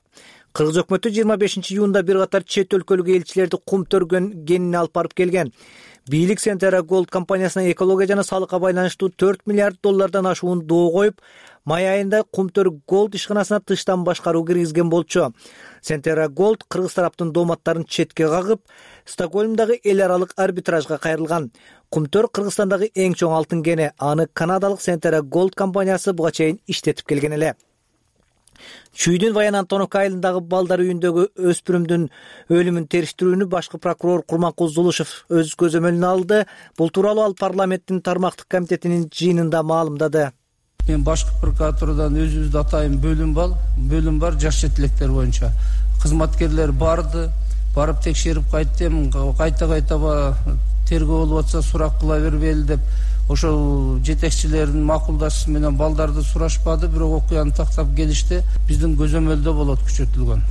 Кыргыз өкмөтү жыйырма бешинчи июнда бир катар чет өлкөлүк элчилерди Кумтөргенине алып барып келген. Бийлик Centera Gold компаниясына экология жана салыкка байланыштуу төрт миллиард доллардан ашуун доо коюп, май айында Кумтөр Gold ишканасына тыштан башкаруу киргизген болчу. Centera Gold кыргыз тараптын дооматтарын четке кагып, Стокгольмдагы эл аралык арбитражга кайрылган. Кумтөр Кыргызстандагы эң чоң алтын кени. Аны канадалык Centera Gold компаниясы буга чейин иштетип келген эле. Чүйдүн Баян Антоновка айылындагы балдар үйүндөгү өспүрүмдүн өлүмүн териштирүүнү башкы прокурор Курманкул Зулушев өз көзөмөлүнө алды. Бул тууралуу ал парламенттин тармактык комитетинин жыйынында маалымдады. Мен башкы прокуратурадан өзүбүздү атайын бөлүм бар, бөлүм бар жаш четилектер боюнча. Кызматкерлер барды, барып текшерип кайттым, кайта-кайта тергөө болуп атса сурак кыла бербейли деп ошол жетекчилердин макулдашуусу менен балдарды сурашпады, бирок окуяны тактап келишти. Биздин көзөмөлдө болот күчөтүлгөн,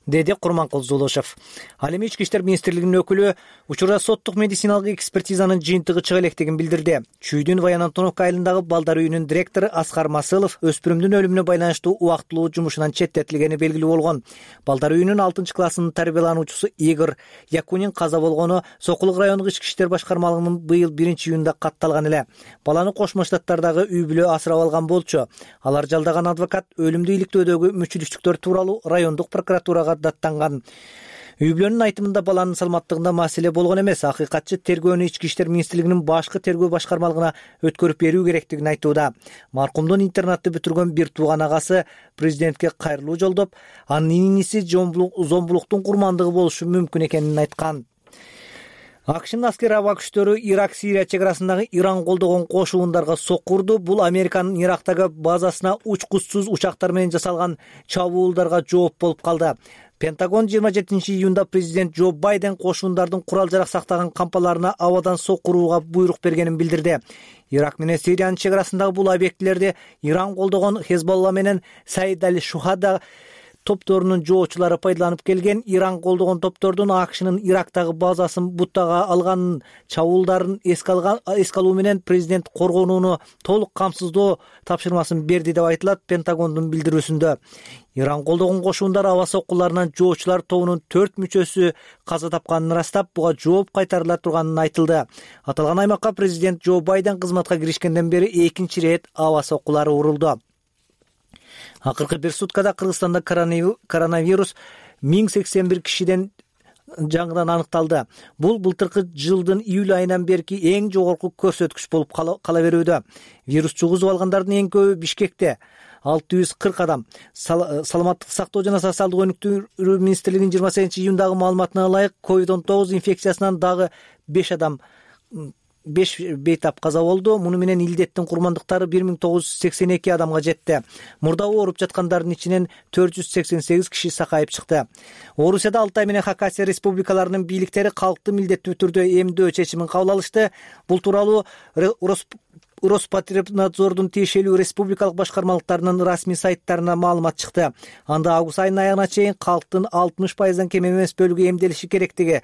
деди Курманкул Зулушев. Ал эми Ички иштер министрлигинин өкүлү учурда соттук медициналык экспертизанын жыйынтыгы чыга электигин билдирди. Чүйдүн Баян Антоновка айылындагы балдар үйүнүн директору Аскар Масылов өспүрүмдүн өлүмүнө байланыштуу убактылуу жумушунан четтетилгени белгилүү болгон. Балдар үйүнүн алтынчы классынын тарбиялануучусу Игорь Якунин каза болгону Сокулук райондук ички иштер башкармалыгынын быйыл биринчи июнда катталган эле. Баланы Кошмо Штаттардагы үй бүлө асырап алган болчу. Алар жалдаган адвокат өлүмдү иликтөөдөгү мүчүлүштүктөр тууралуу райондук прокуратурага даттанган. Үй бүлөнүн айтымында баланын саламаттыгында маселе болгон эмес. Акыйкатчы тергөөнү Ички иштер министрлигинин башкы тергөө башкармалыгына өткөрүп берүү керектигин айтууда. Маркумдун интернатты бүтүргөн бир тууган агасы президентке кайрылуу жолдоп, анын иниси зомбулуктун курмандыгы болушу мүмкүн экенин айткан. АКШнын аскер аба күчтөрү Ирак-Сирия чек арасындагы Иран колдогон кошуундарга сокку урду. Бул Американын Ирактагы базасына учкучсуз учактар менен жасалган чабуулдарга жооп болуп калды. Пентагон жыйырма жетинчи июнда президент Джо Байден кошундардын курал жарак сактаган кампаларына абадан сокку урууга буйрук бергенин билдирди. Ирак менен Сириянын чек арасындагы бул объектилерди Иран колдогон Хезболла менен Саид аль-Шухада топторунун жоочулары пайдаланып келген. Иран колдогон топтордун АКШнын Ирактагы базасын буттага алганын, чабуулдарын эске алуу менен президент коргонууну толук камсыздоо тапшырмасын берди деп айтылат Пентагондун билдирүүсүндө. Иран колдогон кошуундар аба соккуларынан жоочулар тобунун төрт мүчөсү каза тапканын ырастап, буга жооп кайтарыла турганын айтылды. Аталган аймакка президент Джо Байден кызматка киришкенден бери экинчи ирет аба соккулары урулду. Акыркы бир суткада Кыргызстанда коронавирус миң сексен бир кишиден жаңыдан аныкталды. Бул былтыркы жылдын июль айынан берки эң жогорку көрсөткүч болуп кала берүүдө. Вирус жугузуп алгандардын эң көбү Бишкекте алты жүз кырк адам. Саламаттык сактоо жана социалдык өнүктүрүү министрлигинин жыйырма сегизинчи июндагы маалыматына ылайык ковид он тогуз инфекциясынан дагы беш адам беш бейтап каза болду. Муну менен илдеттин курмандыктары бир миң тогуз жүз сексен эки адамга жетти. Мурда ооруп жаткандардын ичинен төрт жүз сексен сегиз киши сакайып чыкты. Орусияда Алтай менен Хакасия республикаларынын бийликтери калкты милдеттүү түрдө эмдөө чечимин кабыл алышты. Бул тууралуу Роспотребнадзордун тиешелүү республикалык башкармалыктарынын расмий сайттарына маалымат чыкты. Анда август айынын аягына чейин калктын алтымыш пайыздан кем эмес бөлүгү эмделиши керектиги,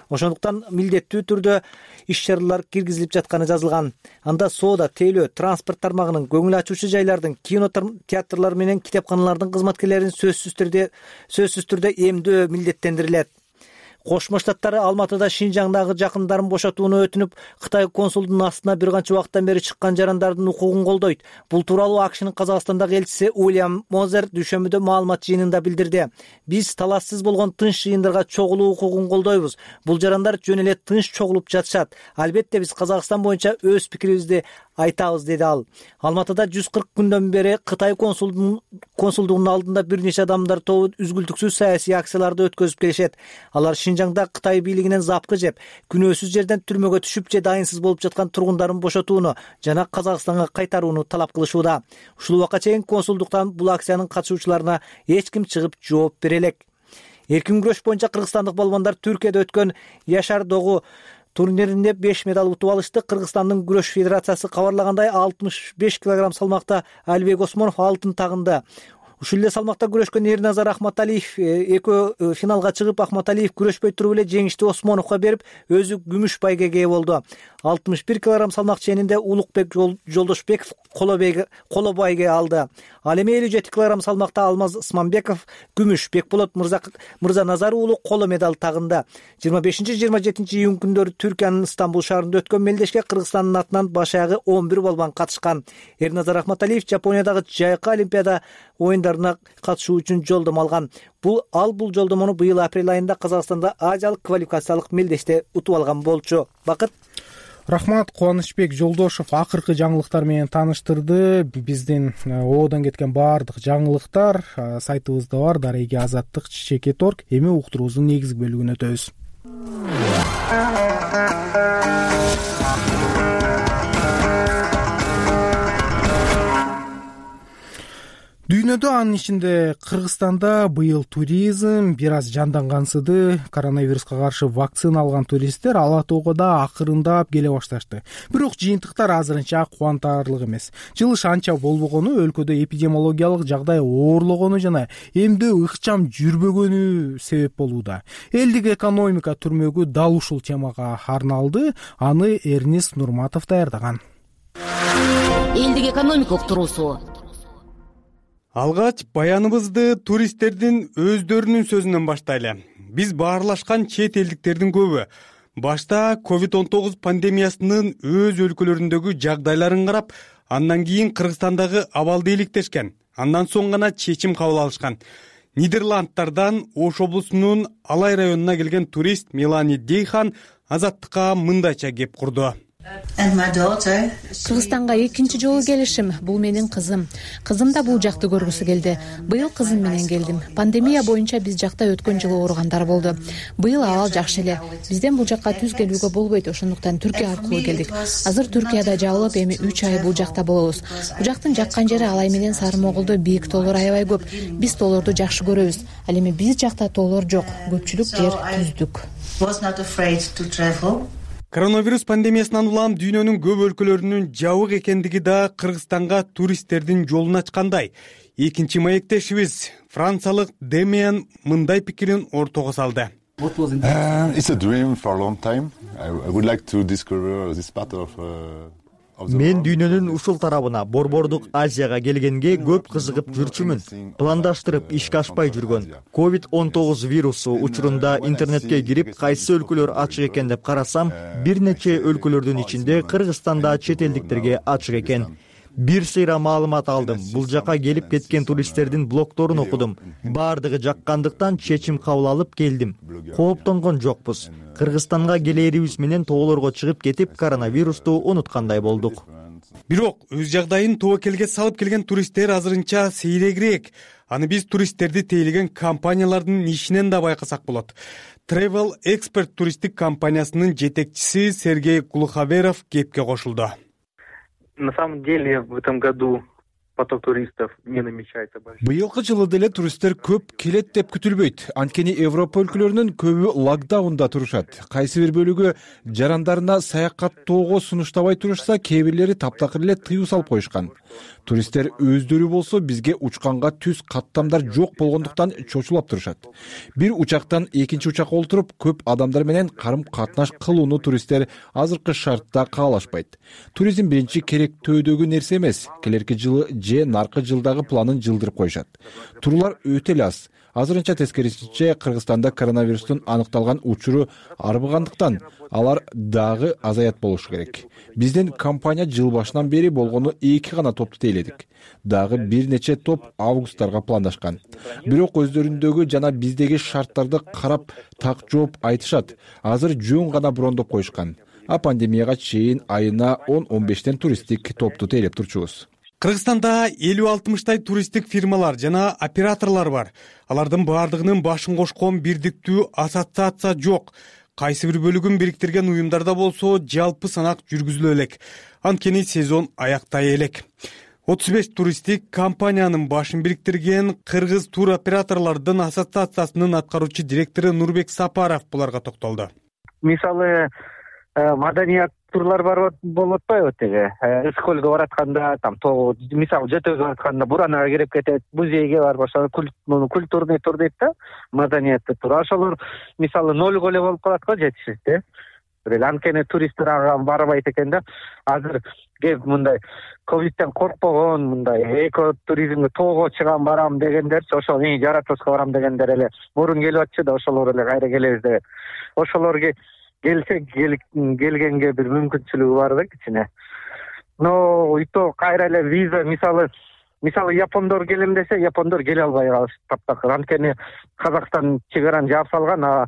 ошондуктан милдеттүү түрдө иш-чаралар киргизилип жатканы жазылган. Анда соода, тейлөө, транспорт тармагынын, көңүл ачуучу жайлардын, кино театрлар менен китепканалардын кызматкерлерин сөзсүз түрдө сөзсүз түрдө эмдөө милдеттендирилет. Кошмо Штаттары Алматыда Шинжаңдагы жакындарын бошотууну өтүнүп, Кытай консулдунун астына бир канча убакыттан бери чыккан жарандардын укугун колдойт. Бул тууралуу АКШнын Казакстандагы элчиси Уильям Мозер дүйшөмбүдө маалымат жыйынында билдирди. Биз талашсыз болгон тынч жыйындарга чогулуу укугун колдойбуз. Бул жарандар жөн эле тынч чогулуп жатышат. Албетте биз Казакстан боюнча өз пикирибизди айтабыз, деди ал. Алматыда жүз кырк күндөн бери Кытай консулдугунун алдында бир нече адамдар тобу үзгүлтүксүз саясий акцияларды өткөзүп келишет. Алар Шинжаңда Кытай бийлигинен запкы жеп, күнөөсүз жерден түрмөгө түшүп же дайынсыз болуп жаткан тургундарын бошотууну жана Казакстанга кайтарууну талап кылышууда. Ушул убакка чейин консулдуктан бул акциянын катышуучуларына эч ким чыгып жооп бере элек. Эркин күрөш боюнча кыргызстандык балбандар Түркияда өткөн Яшар Догу турниринде беш медаль утуп алышты. Кыргызстандын күрөш федерациясы кабарлагандай алтымыш беш килограмм салмакта Алибек Осмонов алтын тагынды. Ушул эле салмакта күрөшкөн Эрназар Ахматалиев экөө финалга чыгып, Ахматалиев күрөшпөй туруп эле жеңишти Осмоновго берип, өзү күмүш байгеге ээ болду. алтымыш бир килограмм салмак ченинде Улукбек Жолдошбеков коло байге алды. Ал эми элүү жети килограмм салмакта Алмаз Ысманбеков күмүш, Бекболот Мырза Назар уулу коло медаль тагынды. жыйырма бешинчи жыйырма жетинчи июнь күндөрү Түркиянын Стамбул шаарында өткөн мелдешке Кыргызстандын атынан баш аягы он бир балбан катышкан. Эрназар Ахматалиев Жапониядагы жайкы олимпиада оюндарына катышуу үчүн жолдомо алган. Бул ал бул жолдомону быйыл апрель айында Казакстанда Азиялык квалификациялык мелдеште утуп алган болчу. Бакыт. Рахмат. Кубанычбек Жолдошов акыркы жаңылыктар менен тааныштырды. Биздин оодон кеткен баардык жаңылыктар сайтыбызда бар, дареги азаттык чечекет точка орг. Эми уктуруубуздун негизги бөлүгүнө өтөбүз. Дүйнөдө, анын ичинде Кыргызстанда быйыл туризм бир аз жандангансыды. Коронавируска каршы вакцина алган туристтер ала тоого да акырындап келе башташты. Бирок жыйынтыктар азырынча кубантарлык эмес. Жылыш анча болбогону, өлкөдө эпидемиологиялык жагдай оорлогону жана эмдөө ыкчам жүрбөгөнү себеп болууда. Элдик экономика түрмөгү дал ушул темага арналды. Аны Эрнис Нурматов даярдаган. Элдик экономика уктуруусу. Алгач баяныбызды туристтердин өздөрүнүн сөзүнөн баштайлы. Биз баарлашкан чет элдиктердин көбү башта ковид он тогуз пандемиясынын өз өлкөлөрүндөгү жагдайларын карап, андан кийин Кыргызстандагы абалды иликтешкен. Андан соң гана чечим кабыл алышкан. Нидерландтардан Ош облусунун Алай районуна келген турист Мелани Дейхан Азаттыкка мындайча кеп курду. Кыргызстанга экинчи жолу келишим. Бул менин кызым. Кызым да бул жакты көргүсү келди. Быйыл кызым менен келдим. Пандемия боюнча биз жакта өткөн жылы ооругандар болду. Быйыл абал жакшы эле. Бизден бул жакка түз келүүгө болбойт, ошондуктан Түркия аркылуу келдик. Азыр Түркияда жабылып, эми үч ай бул жакта болобуз. Бул жактын жаккан жери Алай менен Сары Моголдо бийик тоолор аябай көп. Биз тоолорду жакшы көрөбүз. Ал эми биз жакта тоолор жок. Көпчүлүк жер түздүк. Коронавирус пандемиясынан улам дүйнөнүн көп өлкөлөрүнүн жабык экендиги да Кыргызстанга туристтердин жолун ачкандай. Экинчи маектешибиз франциялык Демиан мындай пикирин ортого салды. Мен дүйнөнүн ушул тарабына, Борбордук Азияга келгенге көп кызыгып жүрчүмүн. Пландаштырып ишке ашпай жүргөн. ковид он тогуз вирусу учурунда интернетке кирип, кайсы өлкөлөр ачык экен деп карасам, бир нече өлкөлөрдүн ичинде Кыргызстанда чет элдиктерге ачык экен. бир сыйра маалымат алдым. Бул жака келип кеткен туристтердин блогдорун окудум. Баардыгы жаккандыктан чечим кабыл алып келдим. Кооптонгон жокпуз. Кыргызстанга келээрибиз менен тоолорго чыгып кетип, коронавирусту унуткандай болдук. Бирок өз жагдайын тобокелге салып келген туристтер азырынча сейрегирээк. Аны биз туристтерди тейлеген компаниялардын ишинен да байкасак болот. Travel Expert туристтик компаниясынын жетекчиси Сергей Глуховеров кепке кошулду. На самом деле в этом году поток туристов не намечается большой. Быйылкы жылы деле туристтер көп келет деп күтүлбөйт. Анткени Европа өлкөлөрүнүн көбү локдаунда турушат. Кайсы бир бөлүгү жарандарына саякаттоого сунуштабай турушса, кээ бирлери таптакыр эле тыюу салып коюшкан. Туристтер өздөрү болсо бизге учканга түз каттамдар жок болгондуктан чочулап турушат. Бир учактан экинчи учакка олтуруп, көп адамдар менен карым катнаш кылууну туристтер азыркы шартта каалашпайт. Туризм биринчи керектөөдөгү нерсе эмес. Келерки жылы же наркы жылдагы планын жылдырып коюшат. Туруулар өтө эле аз. Азырынча тескерисинче Кыргызстанда коронавирустун аныкталган учуру арбыгандыктан алар дагы азаят болушу керек. Биздин компания жыл башынан бери болгону эки гана топту тейледик. Дагы бир нече топ августтарга пландашкан. Бирок өздөрүндөгү жана биздеги шарттарды карап так жооп айтышат. Азыр жөн гана брондоп коюшкан. А пандемияга чейин айына он он бештен туристтик топту тейлеп турчубуз. Кыргызстанда элүү алтымыштай туристтик фирмалар жана операторлор бар. Алардын баардыгынын башын кошкон бирдиктүү ассоциация жок. Кайсы бир бөлүгүн бириктирген уюмдарда болсо жалпы санак жүргүзүлө элек. Анткени сезон аяктай элек. отуз беш туристтик компаниянын башын бириктирген Кыргыз тур операторлордун ассоциациясынын аткаруучу директору Нурбек Сапаров буларга токтолду. Мисалы маданият турлар бар болуп атпайбы теге ысык көлгө баратканда, там тоо мисалы Жетөөгө баратканда Буранага кирип кетет, музейге барып ошо культурный тур дейт да, маданияттуу тур. Ошолор мисалы нольго эле болуп калат го жетишсиз. Бир анткени туристтер ага барбайт экен да. Азыр кеп мындай ковидтен коркпогон, мындай эко туризмге тоого чыгам барам дегендерчи, ошол Жаратовско барам дегендер эле мурун келип атчы да, ошолор эле кайра келебиз деп. Ошолорго келсе келгенге бир мүмкүнчүлүгү бар да кичине. Но и то кайра эле виза, мисалы мисалы япондор келем десе, япондор келе албай калышты таптакыр. Анткени Казакстан чек араны жаап салган, а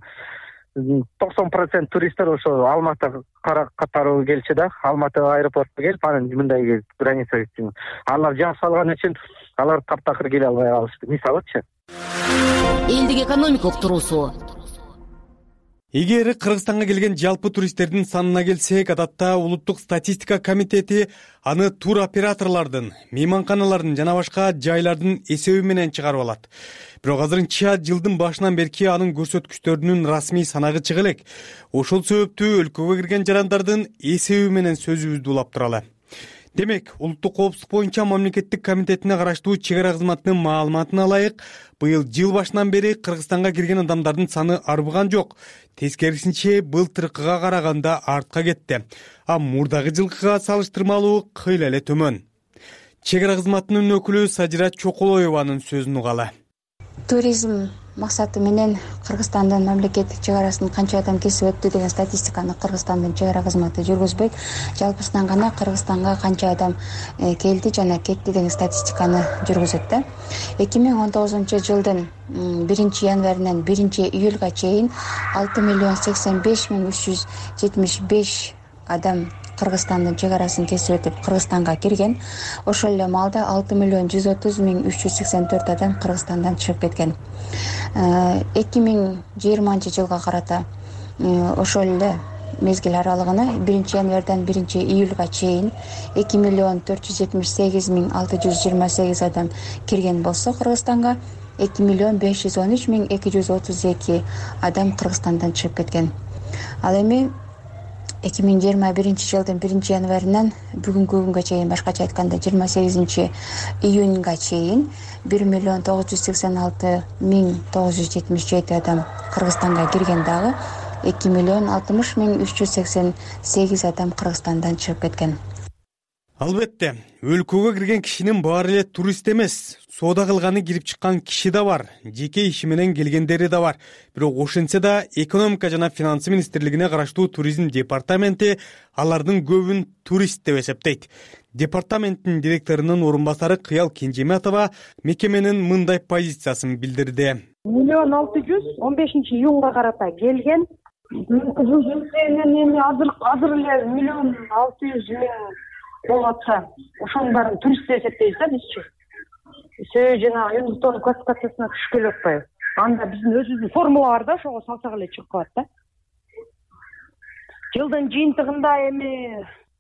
токсон процент туристтер ошо Алматы катары келчү да. Алматы аэропортко келип, анан мындай граница үчүн алар жаап салган үчүн алар таптакыр келе албай калышты. Мисалычы. Элдик экономика уктуруусу. Эгер Кыргызстанга келген жалпы туристтердин санына келсек, адатта улуттук статистика комитети аны тур операторлордун, мейманканалардын жана башка жайлардын эсеби менен чыгарып алат. Бирок азырынча жылдын башынан берки анын көрсөткүчтөрүнүн расмий санагы чыга элек. Ошол себептүү өлкөгө кирген жарандардын эсеби менен сөзүбүздү улап туралы. Демек, улуттук коопсуздук боюнча мамлекеттик комитетине караштуу чек ара кызматынын маалыматына ылайык, быйыл жыл башынан бери Кыргызстанга кирген адамдардын саны арбыган жок. Тескерисинче былтыркыга караганда артка кетти. А мурдагы жылкыга салыштырмалуу кыйла эле төмөн. Чек ара кызматынын өкүлү Сажира Чоколоеванын сөзүн угалы. Туризм максаты менен Кыргызстандын мамлекеттик чек арасын канча адам кесип өттү деген статистиканы Кыргызстандын чек ара кызматы жүргүзбөйт. Жалпысынан гана Кыргызстанга канча адам келди жана кетти деген статистиканы жүргүзөт да. эки миң он тогузунчу жылдын биринчи январынан биринчи июлга чейин алты миллион сексен беш миң үч жүз жетимиш беш адам Кыргызстандын чек арасын кесип өтүп Кыргызстанга кирген. Ошол эле маалда алты миллион жүз отуз миң үч жүз сексен төрт адам Кыргызстандан чыгып кеткен. эки миң жыйырманчы жылга карата ошол эле мезгил аралыгына биринчи январдан биринчи июлга чейин эки миллион төрт жүз жетимиш сегиз миң алты жүз жыйырма сегиз адам кирген болсо Кыргызстанга эки миллион беш жүз он үч миң эки жүз отуз эки адам Кыргызстандан чыгып кеткен. Ал эми эки миң жыйырма биринчи жылдын биринчи январынан бүгүнкү күнгө чейин, башкача айтканда жыйырма сегизинчи июнга чейин бир миллион тогуз жүз сексен алты миң тогуз жүз жетимиш жети адам Кыргызстанга кирген, дагы эки миллион алтымыш миң үч жүз сексен сегиз адам Кыргызстандан чыгып кеткен. Албетте, өлкөгө кирген кишинин баары эле турист эмес. Соода кылганы кирип чыккан киши да бар, жеке иши менен келгендери да бар. Бирок ошентсе да экономика жана финансы министрлигине караштуу туризм департаменти алардын көбүн турист деп эсептейт. Департаменттин директорунун орун басары Кыял Кенжеметова мекеменин мындай позициясын билдирди. миллион алты жүз он бешинчи июнга карата келген. Азыр азыр эле миллион алты жүз миң болуп атса, ошонун баарын турист деп эсептейбиз да бизчи. Себеби жана Юндустон классификациясына түшүп келип атпайбы? Анда биздин өзүбүздүн формула бар да, ошого салсак эле чыгып калат да. Жылдын жыйынтыгында эми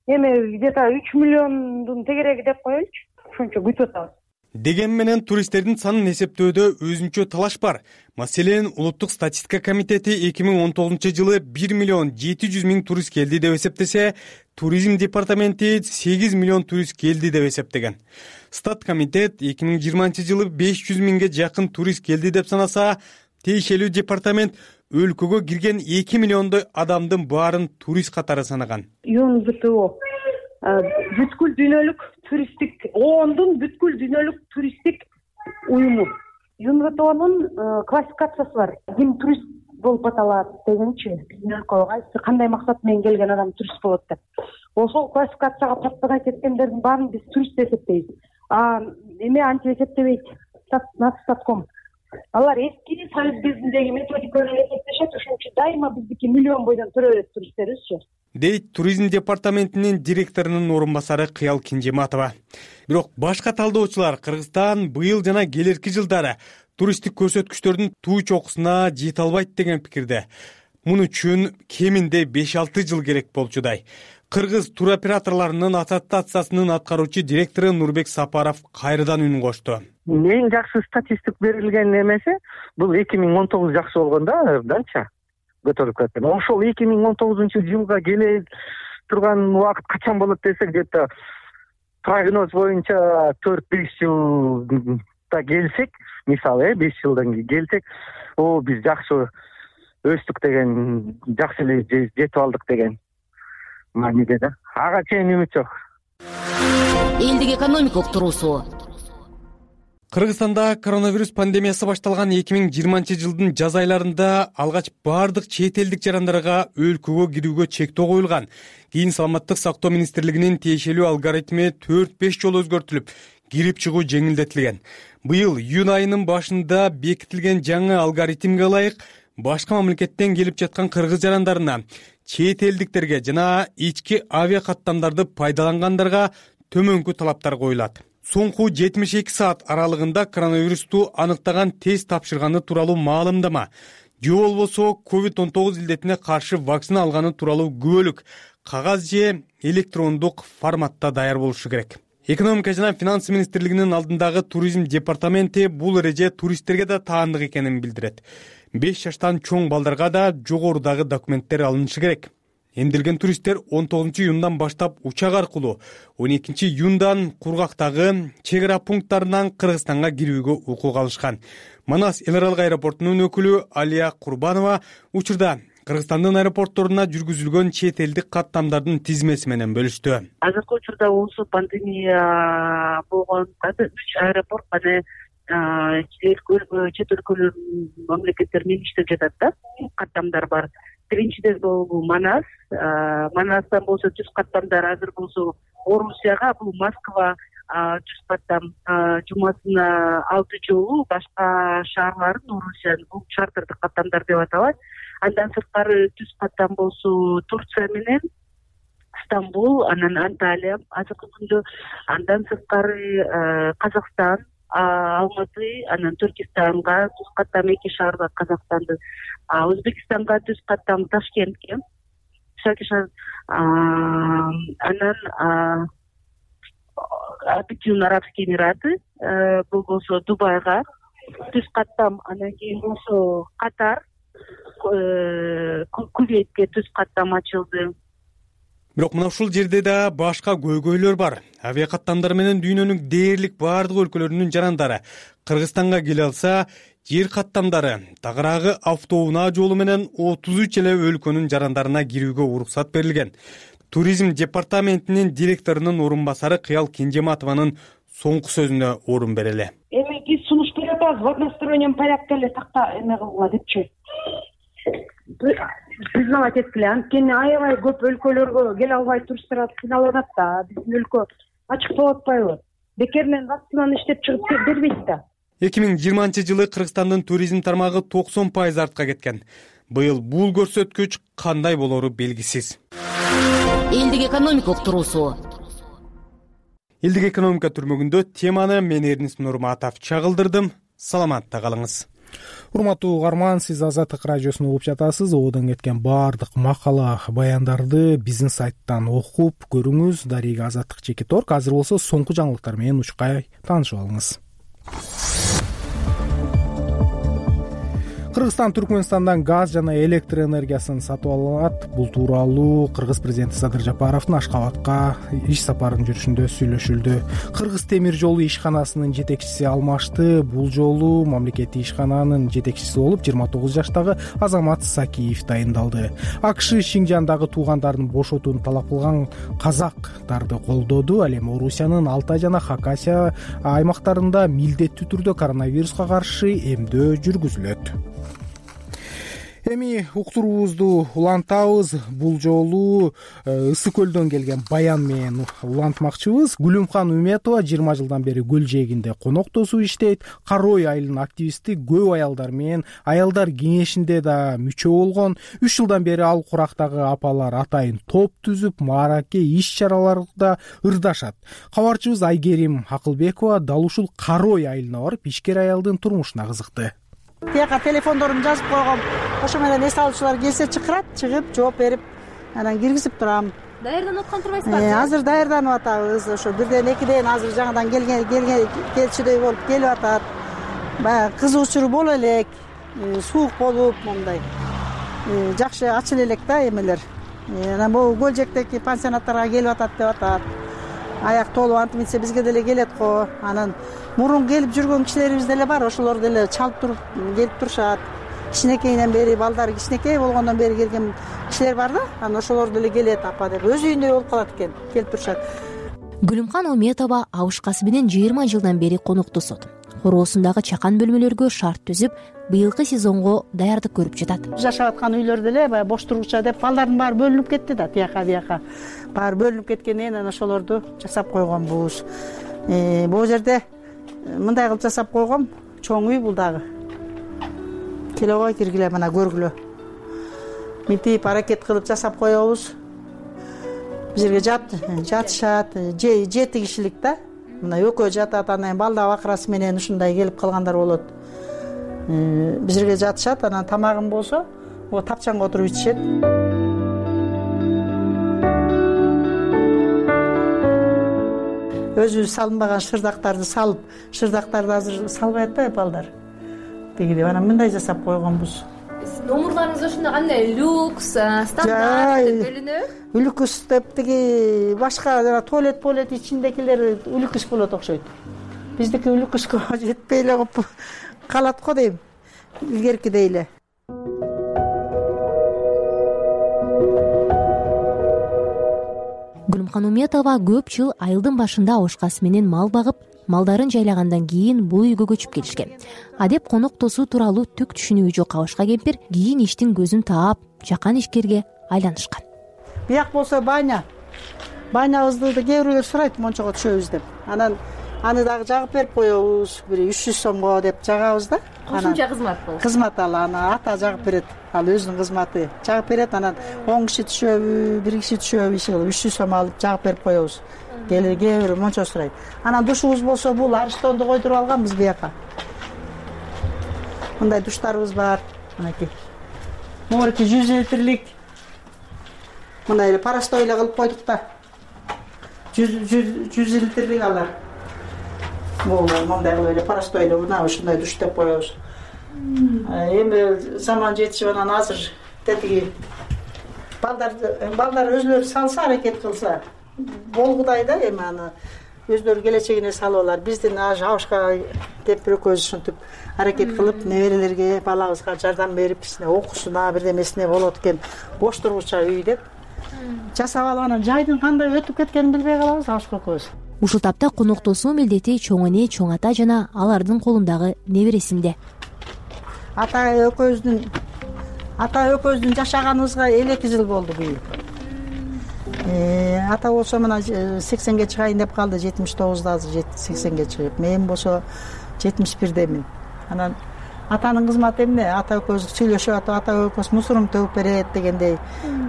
эми где-то үч миллиондун тегереги деп коелучу. Ошончо күтүп атабыз. Деген менен туристтердин санын эсептөөдө өзүнчө талаш бар. Маселен, Улуттук статистика комитети эки миң он тогузунчу жылы бир миллион жети жүз миң турист келди деп эсептесе, туризм департаменти сегиз миллион турист келди деп эсептеген. Стат комитет эки миң жыйырманчы жылы беш жүз миңге жакын турист келди деп санаса, тиешелүү департамент өлкөгө кирген эки миллиондой адамдын баарын турист катары санаган. ЮНВТО бүткүл дүйнөлүк туристтик оондун бүткүл дүйнөлүк туристтик уюму. ЮНВТОнун классификациясы бар. Ким турист болуп аталат дегенчи, биздин өлкөгө кайсы кандай максат менен келген адам турист болот деп. Ошол классификацияга попадай кеткендердин баарын биз турист деп эсептейбиз. А эме антип эсептебейт. Статком. Алар эски Союз безиндеги методика менен эсептешет, ошон үчүн дайыма биздики миллион бойдон төрө берет туристтерибизчи. Дейт туризм департаментинин директорунун орун басары Кыял Кенжеметова. Бирок башка талдоочулар Кыргызстан быйыл жана келерки жылдары туристтик көрсөткүчтөрдүн туу чокусуна жете албайт деген пикирде. Муну үчүн кеминде беш алты жыл керек болчудай. Кыргыз туроператорлорунун ассоциациясынын аткаруучу директору Нурбек Сапаров кайрадан үн кошту. Эң жакшы статистик берилген эмеси бул эки миң он тогуз жакшы болгон да, дача көтөрүлүп кеткен. Ошол эки миң он тогузунчу жылга келе турган убакыт качан болот десек, где-то прогноз боюнча төрт беш жылда келсек, мисалы беш жылдан кийин келсек, о биз жакшы өстүк деген, жакшы эле жетип алдык деген мааниде да. Ага чейин үмүт жок. Элдик экономика уктуруусу. Кыргызстанда коронавирус пандемиясы башталган эки миң жыйырманчы жылдын жаз айларында алгач бардык чет элдик жарандарга өлкөгө кирүүгө чектөө коюлган. Кийин Саламаттык сактоо министрлигинин тиешелүү алгоритми төрт беш жолу өзгөртүлүп, кирип чыгуу жеңилдетилген. Быйыл июнь айынын башында бекитилген жаңы алгоритмге ылайык башка мамлекеттен келип жаткан кыргыз жарандарына, чет элдиктерге жана ички авиа каттамдарды пайдалангандарга төмөнкү талаптар коюлат. Соңку жетимиш эки саат аралыгында коронавирусту аныктаган тест тапшырганы тууралуу маалымдама, же болбосо ковид он тогуз илдетине каршы вакцина алганы тууралуу күбөлүк кагаз же электрондук форматта даяр болушу керек. Экономика жана финансы министрлигинин алдындагы туризм департаменти бул эреже туристтерге да таандык экенин билдирет. беш жаштан чоң балдарга да жогорудагы документтер алынышы керек. Эмделген туристтер он тогузунчу июндан баштап учак аркылуу, он экинчи июндан кургактагы чек ара пункттарынан Кыргызстанга кирүүгө укук алышкан. Манас эл аралык аэропортунун өкүлү Алия Курбанова учурда Кыргызстандын аэропортторуна жүргүзүлгөн чет элдик каттамдардын тизмеси менен бөлүштү. Азыркы учурда осы пандемия болгон үч аэропорт мына чет өлкөлөрдүн мамлекеттер менен иштеп жатат да. Каттамдар бар. Биринчиден бул Манас, Манастан болсо жүз каттамдар, азыр болсо Орусияга, бул Москва жүз каттам, жумасына алты жолу башка шаарларын Орусиянын бул чартердик каттамдар деп аталат. Андан сырткары жүз каттам болсо Турция менен Стамбул, анан Анталия азыркы күндө, андан сырткары Казакстан, Алматы, анан Түркистанга жүз каттам эки шаарга Казакстанды, Өзбекстанга жүз каттам Ташкентке, анан Объединенные Арабские Эмираты, бул болсо Дубайга жүз каттам, анан кийин болсо Катар, Кувейтке жүз каттам ачылды. Бирок мына ушул жерде да башка көйгөйлөр бар. Авиакаттамдар менен дүйнөнүн дээрлик бардык өлкөлөрүнүн жарандары Кыргызстанга келе алса, жер каттамдары тагыраагы автоунаа жолу менен отуз үч эле өлкөнүн жарандарына кирүүгө уруксат берилген. туризм департаментинин директорунун орун басары Кыял Кенжематованын соңку сөзүнө орун берели. Эми биз сунуш берип атабыз в одностороннем порядке эле такта эме кылгыла депчи. Признавать эткиле, анткени аябай көп өлкөлөргө келе албай туристтер кыйналып атат да. Биздин өлкө ачык болуп атпайбы? Бекеринен вакцинаны иштеп чыгып бербейт да. эки миң жыйырманчы жылы Кыргызстандын туризм тармагы токсон пайыз артка кеткен. Быйыл бул көрсөткүч кандай болору белгисиз. Элдик экономика уктуруусу. Элдик экономика түрмөгүндө теманы мен Эрнис Нурматов чагылдырдым. Саламатта калыңыз. Урматтуу угарман, сиз Азаттык радиосун угуп жатасыз. Одон кеткен баардык макала, баяндарды биздин сайттан окуп көрүңүз. Дарига Азаттык жеке торк. Азыр болсо соңку жаңылыктар менен учкай таанышып алыңыз. Кыргызстан Түркмөнстандан газ жана электр энергиясын сатып алат. Бул тууралуу Кыргыз президенти Садыр Жапаровдун Ашкабадка иш сапарын жүрүшүндө сүйлөшүлдү. Кыргыз темир жолу ишканасынын жетекчиси алмашты. Бул жолу мамлекеттик ишкананын жетекчиси болуп жыйырма тогуз жаштагы Азамат Сакиев дайындалды. АКШ Шинжандагы туугандарын бошотууну талап кылган казактарды колдоду. Ал эми Орусиянын Алтай жана Хакасия аймактарында милдеттүү түрдө коронавируска каршы эмдөө жүргүзүлөт. Эми уктуруубузду улантабыз. Бул жолу Ысык көлдөн келген баян менен улантмакчыбыз. Гүлүмкан Үметова жыйырма жылдан бери көл жээгинде конок тосуп иштейт. Карой айылынын активисти, көп аялдар менен аялдар кеңешинде да мүчө болгон. үч жылдан бери ал курактагы апалар атайын топ түзүп, маараке иш-чараларда ырдашат. Кабарчыбыз Айгерим Акылбекова дал ушул Карой айылына барып ишкер аялдын турмушуна кызыкты. Тияка телефондорун жазып койгом. Ошо менен эс алуучулар келсе чакырат, чыгып жооп берип, анан киргизип турам. Даярданып аткан турбайсызбы? Азыр даярданып атабыз. Ошо бирден экиден азыр жаңадан келген келген келчүдөй болуп келип атат. Баягы кызуучу боло элек, суук болуп мондай. Жакшы ачыла элек да эмелер. Анан бул Көлжектеги пансионаттарга келип атат деп атат. Аяк толуп антип мынтсе бизге деле келет го. Анан мурун келип жүргөн кишилерибиз деле бар. Ошолор деле чалып туруп келип турушат. Кичинекейинен бери балдары кичинекей болгондон бери келген кишилер бар да. Анан ошолор деле келет апа деп өз үйүндөй болуп калат экен, келип турушат. Гүлүмкан Үметова абышкасы менен жыйырма жылдан бери конок тосот. Короосундагы чакан бөлмөлөргө шарт түзүп, быйылкы сезонго даярдык көрүп жатат. Жашап аткан үйлөр деле баягы бош тургуча деп балдардын баары бөлүнүп кетти да, тияка бияка. Баары бөлүнүп кеткенден кийин ошолорду жасап койгонбуз. Бул жерде мындай кылып жасап койгом, чоң үй бул дагы. Келегой киргиле, мына көргүлө. Мынтип аракет кылып жасап коебуз. Бизерге жат, жатышат, жети кишилик да. Мына экөө жатат, анан балда бакырасы менен ушундай келип калгандар болот. Бизерге жатышат, анан тамагын болсо, о тапчанга отуруп ичишет. Өзү салынбаган шырдактарды салып, шырдактарды азыр салбай атпайбы балдар. Дегиде анан мындай жасап койгонбуз. Номурларыңыз ошондой кандай люкс, стандарт деп бөлүнөбү? Люкс деп тиги башка жана туалет туалет ичиндегилер люкс болот окшойт. Биздики люкска жетпей эле калып калат го дейм. Илгеркидей эле. Гүлүмкан Үметова көп жыл айылдын башында абышкасы менен мал багып, малдарын жайлагандан кийин бул үйгө көчүп келишкен. Адеп конок тосуу тууралуу түк түшүнүгү жок абышка кемпир кийин иштин көзүн таап, жакан ишкерге айланышкан. Бияк болсо баня. Банябызды да кээ бирөөлөр сурайт, мончого түшөбүз деп. Анан аны дагы жагып берип коебуз. Бир үч жүз сомго деп жагабыз да. Кошумча кызмат бул. Кызмат ал, аны ата жагып берет. Ал өзүнүн кызматы. Жагып берет, анан он киши түшөбү, бир киши түшөбү, иши кылып үч жүз сом алып жагып берип коебуз. Келе кээ бир мончо сурайт. Анан душубуз болсо бул Ариштонду койдуруп алганбыз бияка. Мындай душтарыбыз бар. Мынакей. Могуреки жүз литрлик. Мындай эле парастой эле кылып койдук да. жүз литрлик алар. Бул мындай кылып эле парастой эле мына ушундай душ деп коебуз. Эми заман жетишип анан азыр тетиги балдар балдар өзүлөрү салса, аракет кылса болгудай да, эми аны өздөрү келечегине салып алар. Биздин абышка деп бир экөөбүз ушинтип аракет кылып, неберелерге, балабызга жардам берип, кичине окуусуна, бирдемесине болот экен, бош тургуча үй деп жасап алып анан жайдын кандай өтүп кеткенин билбей калабыз Абышка экөөбүз. Ушул тапта коноктосуу милдети чоң эне, чоң ата жана алардын колундагы небересинде. Ата экөөбүздүн ата экөөбүздүн жашаганыбызга элүү эки жыл болду быйыл. Ата болсо мына сексенге чыгайын деп калды, жетимиш тогузда азыр сексенге чыгып. Мен болсо жетимиш бирдемин. Анан атанын кызматы эмне? Ата экөөбүз сүйлөшүп атып, ата экөөбүз мусорун төгүп берет дегендей.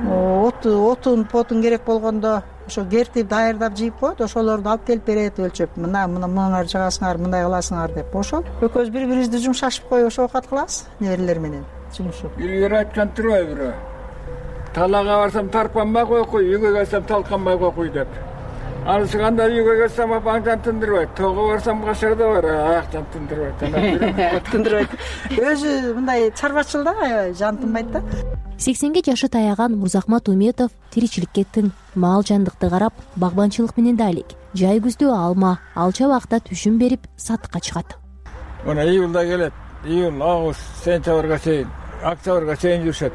Отун, потун керек болгондо ошо кертип даярдап жыйып коет, ошолорду алып келип берет өлчөп. Мына мынар жагасыңар, мындай кыласыңар деп. Ошол экөөбүз бири-бирибизди жумшашып коюп ошо окат кылабыз неберелер менен жумушуп. Илгери айткан турбайбы? Талага барсам тарпанбай кой, үйгө келсем талканбай кой деп. Анысы кандай үйгө келсем апаңдан тындырбайт, тоого барсам кашарда бар, аяктан тындырбайт. Тындырбайт. Өзү мындай чарбачыл да, аябай жан тынбайт да. сексенге жашы таяган Мурзахмат Уметов тиричиликке тың, мал жандыкты карап, багбанчылык менен да алек. Жай күздө алма, алча убакта түшүм берип сатыкка чыгат. Мына июлда келет, июль, август, сентябрга чейин, октябрга чейин жүрүшөт.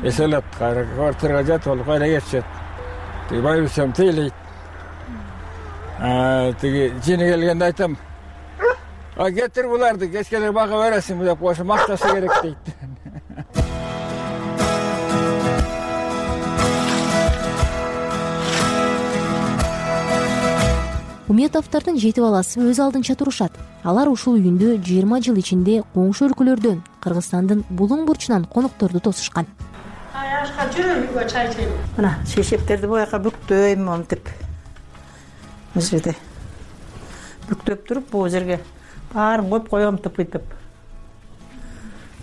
Эселет, квартирага жатып алып кайра кетишет. Тиги байбичем тейлейт. Тиги жини келгенде айтам, а кетир буларды, кечкелер бага бересиңби деп, ошо мактаса керек дейт. Уметовдордун жети баласы өз алдынча турушат. Алар ушул үйүндө жыйырма жыл ичинде коңшу өлкөлөрдөн, Кыргызстандын булуң бурчунан конокторду тосушкан. Аяшка жүрөм үйгө чай чейин. Мына шешептерди бояка бүктөйм монтип. Бул жерде бүктөп туруп, бул жерге баарын коюп коем тыпыйтып.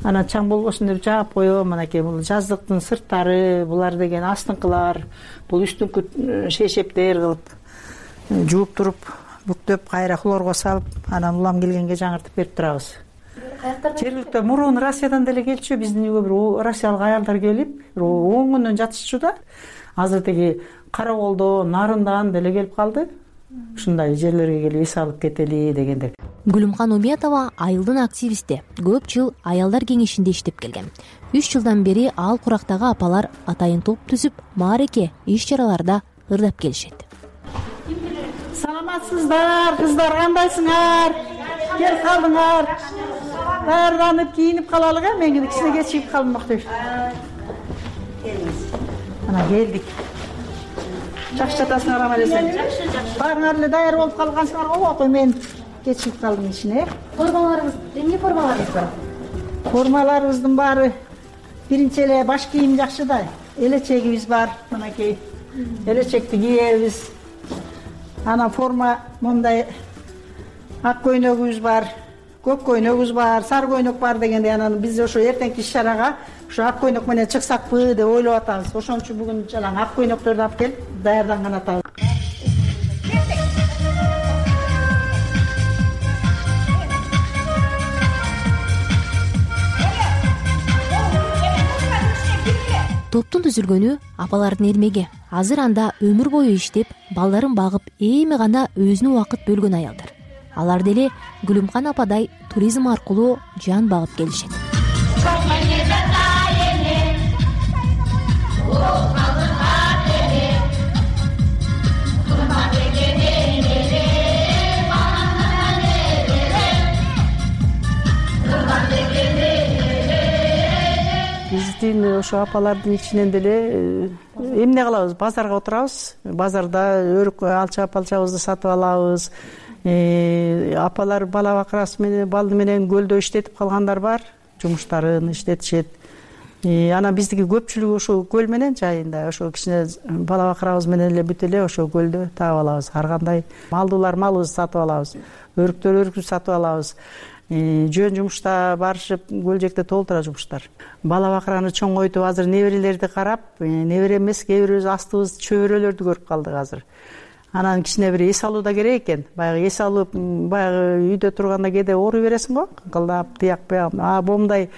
Анан чаң болбосун деп жаап коем. Анакей бул жаздыктын сырттары, булар деген астыңкылар, бул үстүңкү шешептер кылып жууп туруп, бүктөп кайра хлорго салып, анан улам келгенге жаңыртып берип турабыз. Жергиликтүү мурун Россиядан деле келчү, биздин үйгө бир россиялык аялдар келип, он күндөн жатышчу да. Азыр тиги Караколдо, Нарындан деле келип калды. Ушундай жерлерге келип эс алып кетели дегендер. Гүлүмкан Уметова айылдын активисти, көп жыл аялдар кеңешинде иштеп келген. үч жылдан бери ал курактагы апалар атайын топ түзүп, маареке, иш-чараларда ырдап келишет. Саламатсыздар, кыздар, кандайсыңар? Кел калдыңар. Даярданып, кийинип калалык, э? Мен кичине кечигип калдым октойт. Ana geldik. Жакшы жатасыңар ама десең. Жакшы, жакшы. Баарыңар эле даяр болуп калгансыңар го, ой мен кечигип калдым ичине. Формаларыңыз, эмне формаларыңыз бар? Формаларыбыздын баары биринчи эле баш кийим жакшы да. Элечегибиз бар, мынакей. Элечекти кийебиз. Анан форма мындай ак көйнөгүбүз бар, көк көйнөгүбүз бар, сары көйнөк бар дегенде анан биз ошо эртеңки иш-чарага ошо ак көйнөк менен чыксакпы деп ойлоп атабыз. Ошон үчүн бүгүн жалаң ак көйнөктөрдү алып келип даярданган атабыз. Топтун түзүлгөнү апалардын эрмеги. Азыр анда өмүр бою иштеп, балдарын багып, эми гана өзүнө убакыт бөлгөн аялдар. Алар деле Гүлүмкан ападай туризм аркылуу жан багып келишет. Биздин ошо апалардын ичинен деле эмне кылабыз? Базарга отурабыз. Базарда өрүк алча палчабызды сатып алабыз. Апалар бала бакырасы менен, балды менен көлдө иштетип калгандар бар. Жумуштарын иштетишет. Анан биздики көпчүлүгү ошо көл менен жайында, ошо кичине бала бакырабыз менен эле бүт эле ошо көлдө таап алабыз. Ар кандай малдуулар малыбызды сатып алабыз. Өрүктөр өрүкү сатып алабыз. Жөн жумушта барышып, көлжекте толтура жумуштар. Бала бакыраны чоңойтуп, азыр неберелерди карап, небере эмес, кээ бирибиз астыбыз чөбөрөлөрдү көрүп калдык азыр. Анан кичине бир эс алуу да керек экен. Баягы эс алып, баягы үйдө турганда кээде ооруй бересиң го, кылдап, тияк бияк. А момундай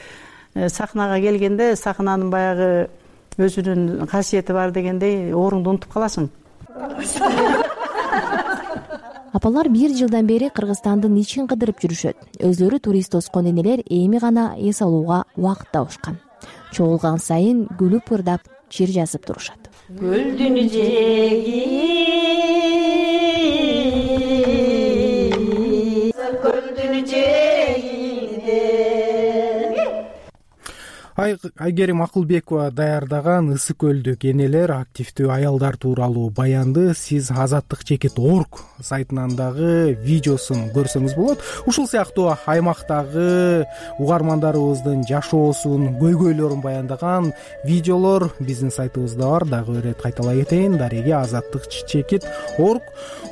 сахнага келгенде сахнанын баягы өзүнүн касиети бар дегендей ооруңду унутуп каласың. Апалар бир жылдан бери Кыргызстандын ичин кыдырып жүрүшөт. Өзлөрү турист тоскон энелер эми гана эс алууга убакыт табышкан. Чогулган сайын күлүп ырдап чир жазып турушат. Гүлдүн жеги гүлдүн жегинде. Айгерим Акылбекова даярдаган ысык көлдүк энелер, активдүү аялдар тууралуу баянды сиз азаттык чекит точка орг сайтынан дагы видеосун көрсөңүз болот. Ушул сыяктуу аймактагы угармандарыбыздын жашоосун, көйгөйлөрүн баяндаган видеолор биздин сайтыбызда бар. Дагы бир ирет кайталай кетейин: дареги азаттык чекит точка орг.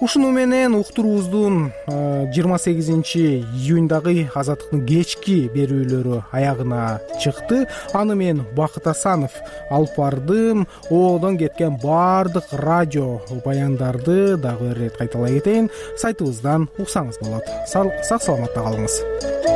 Ушуну менен уктуруубуздун жыйырма сегизинчи июньдагы азаттыктын кечки берүүлөрү аягына чыкты. Аны мен Бакыт Асанов алып бардым. Оодон кеткен баардык радио баяндарды дагы бир ирет кайталай кетейин, сайтыбыздан уксаңыз болот. Сак саламатта калыңыз.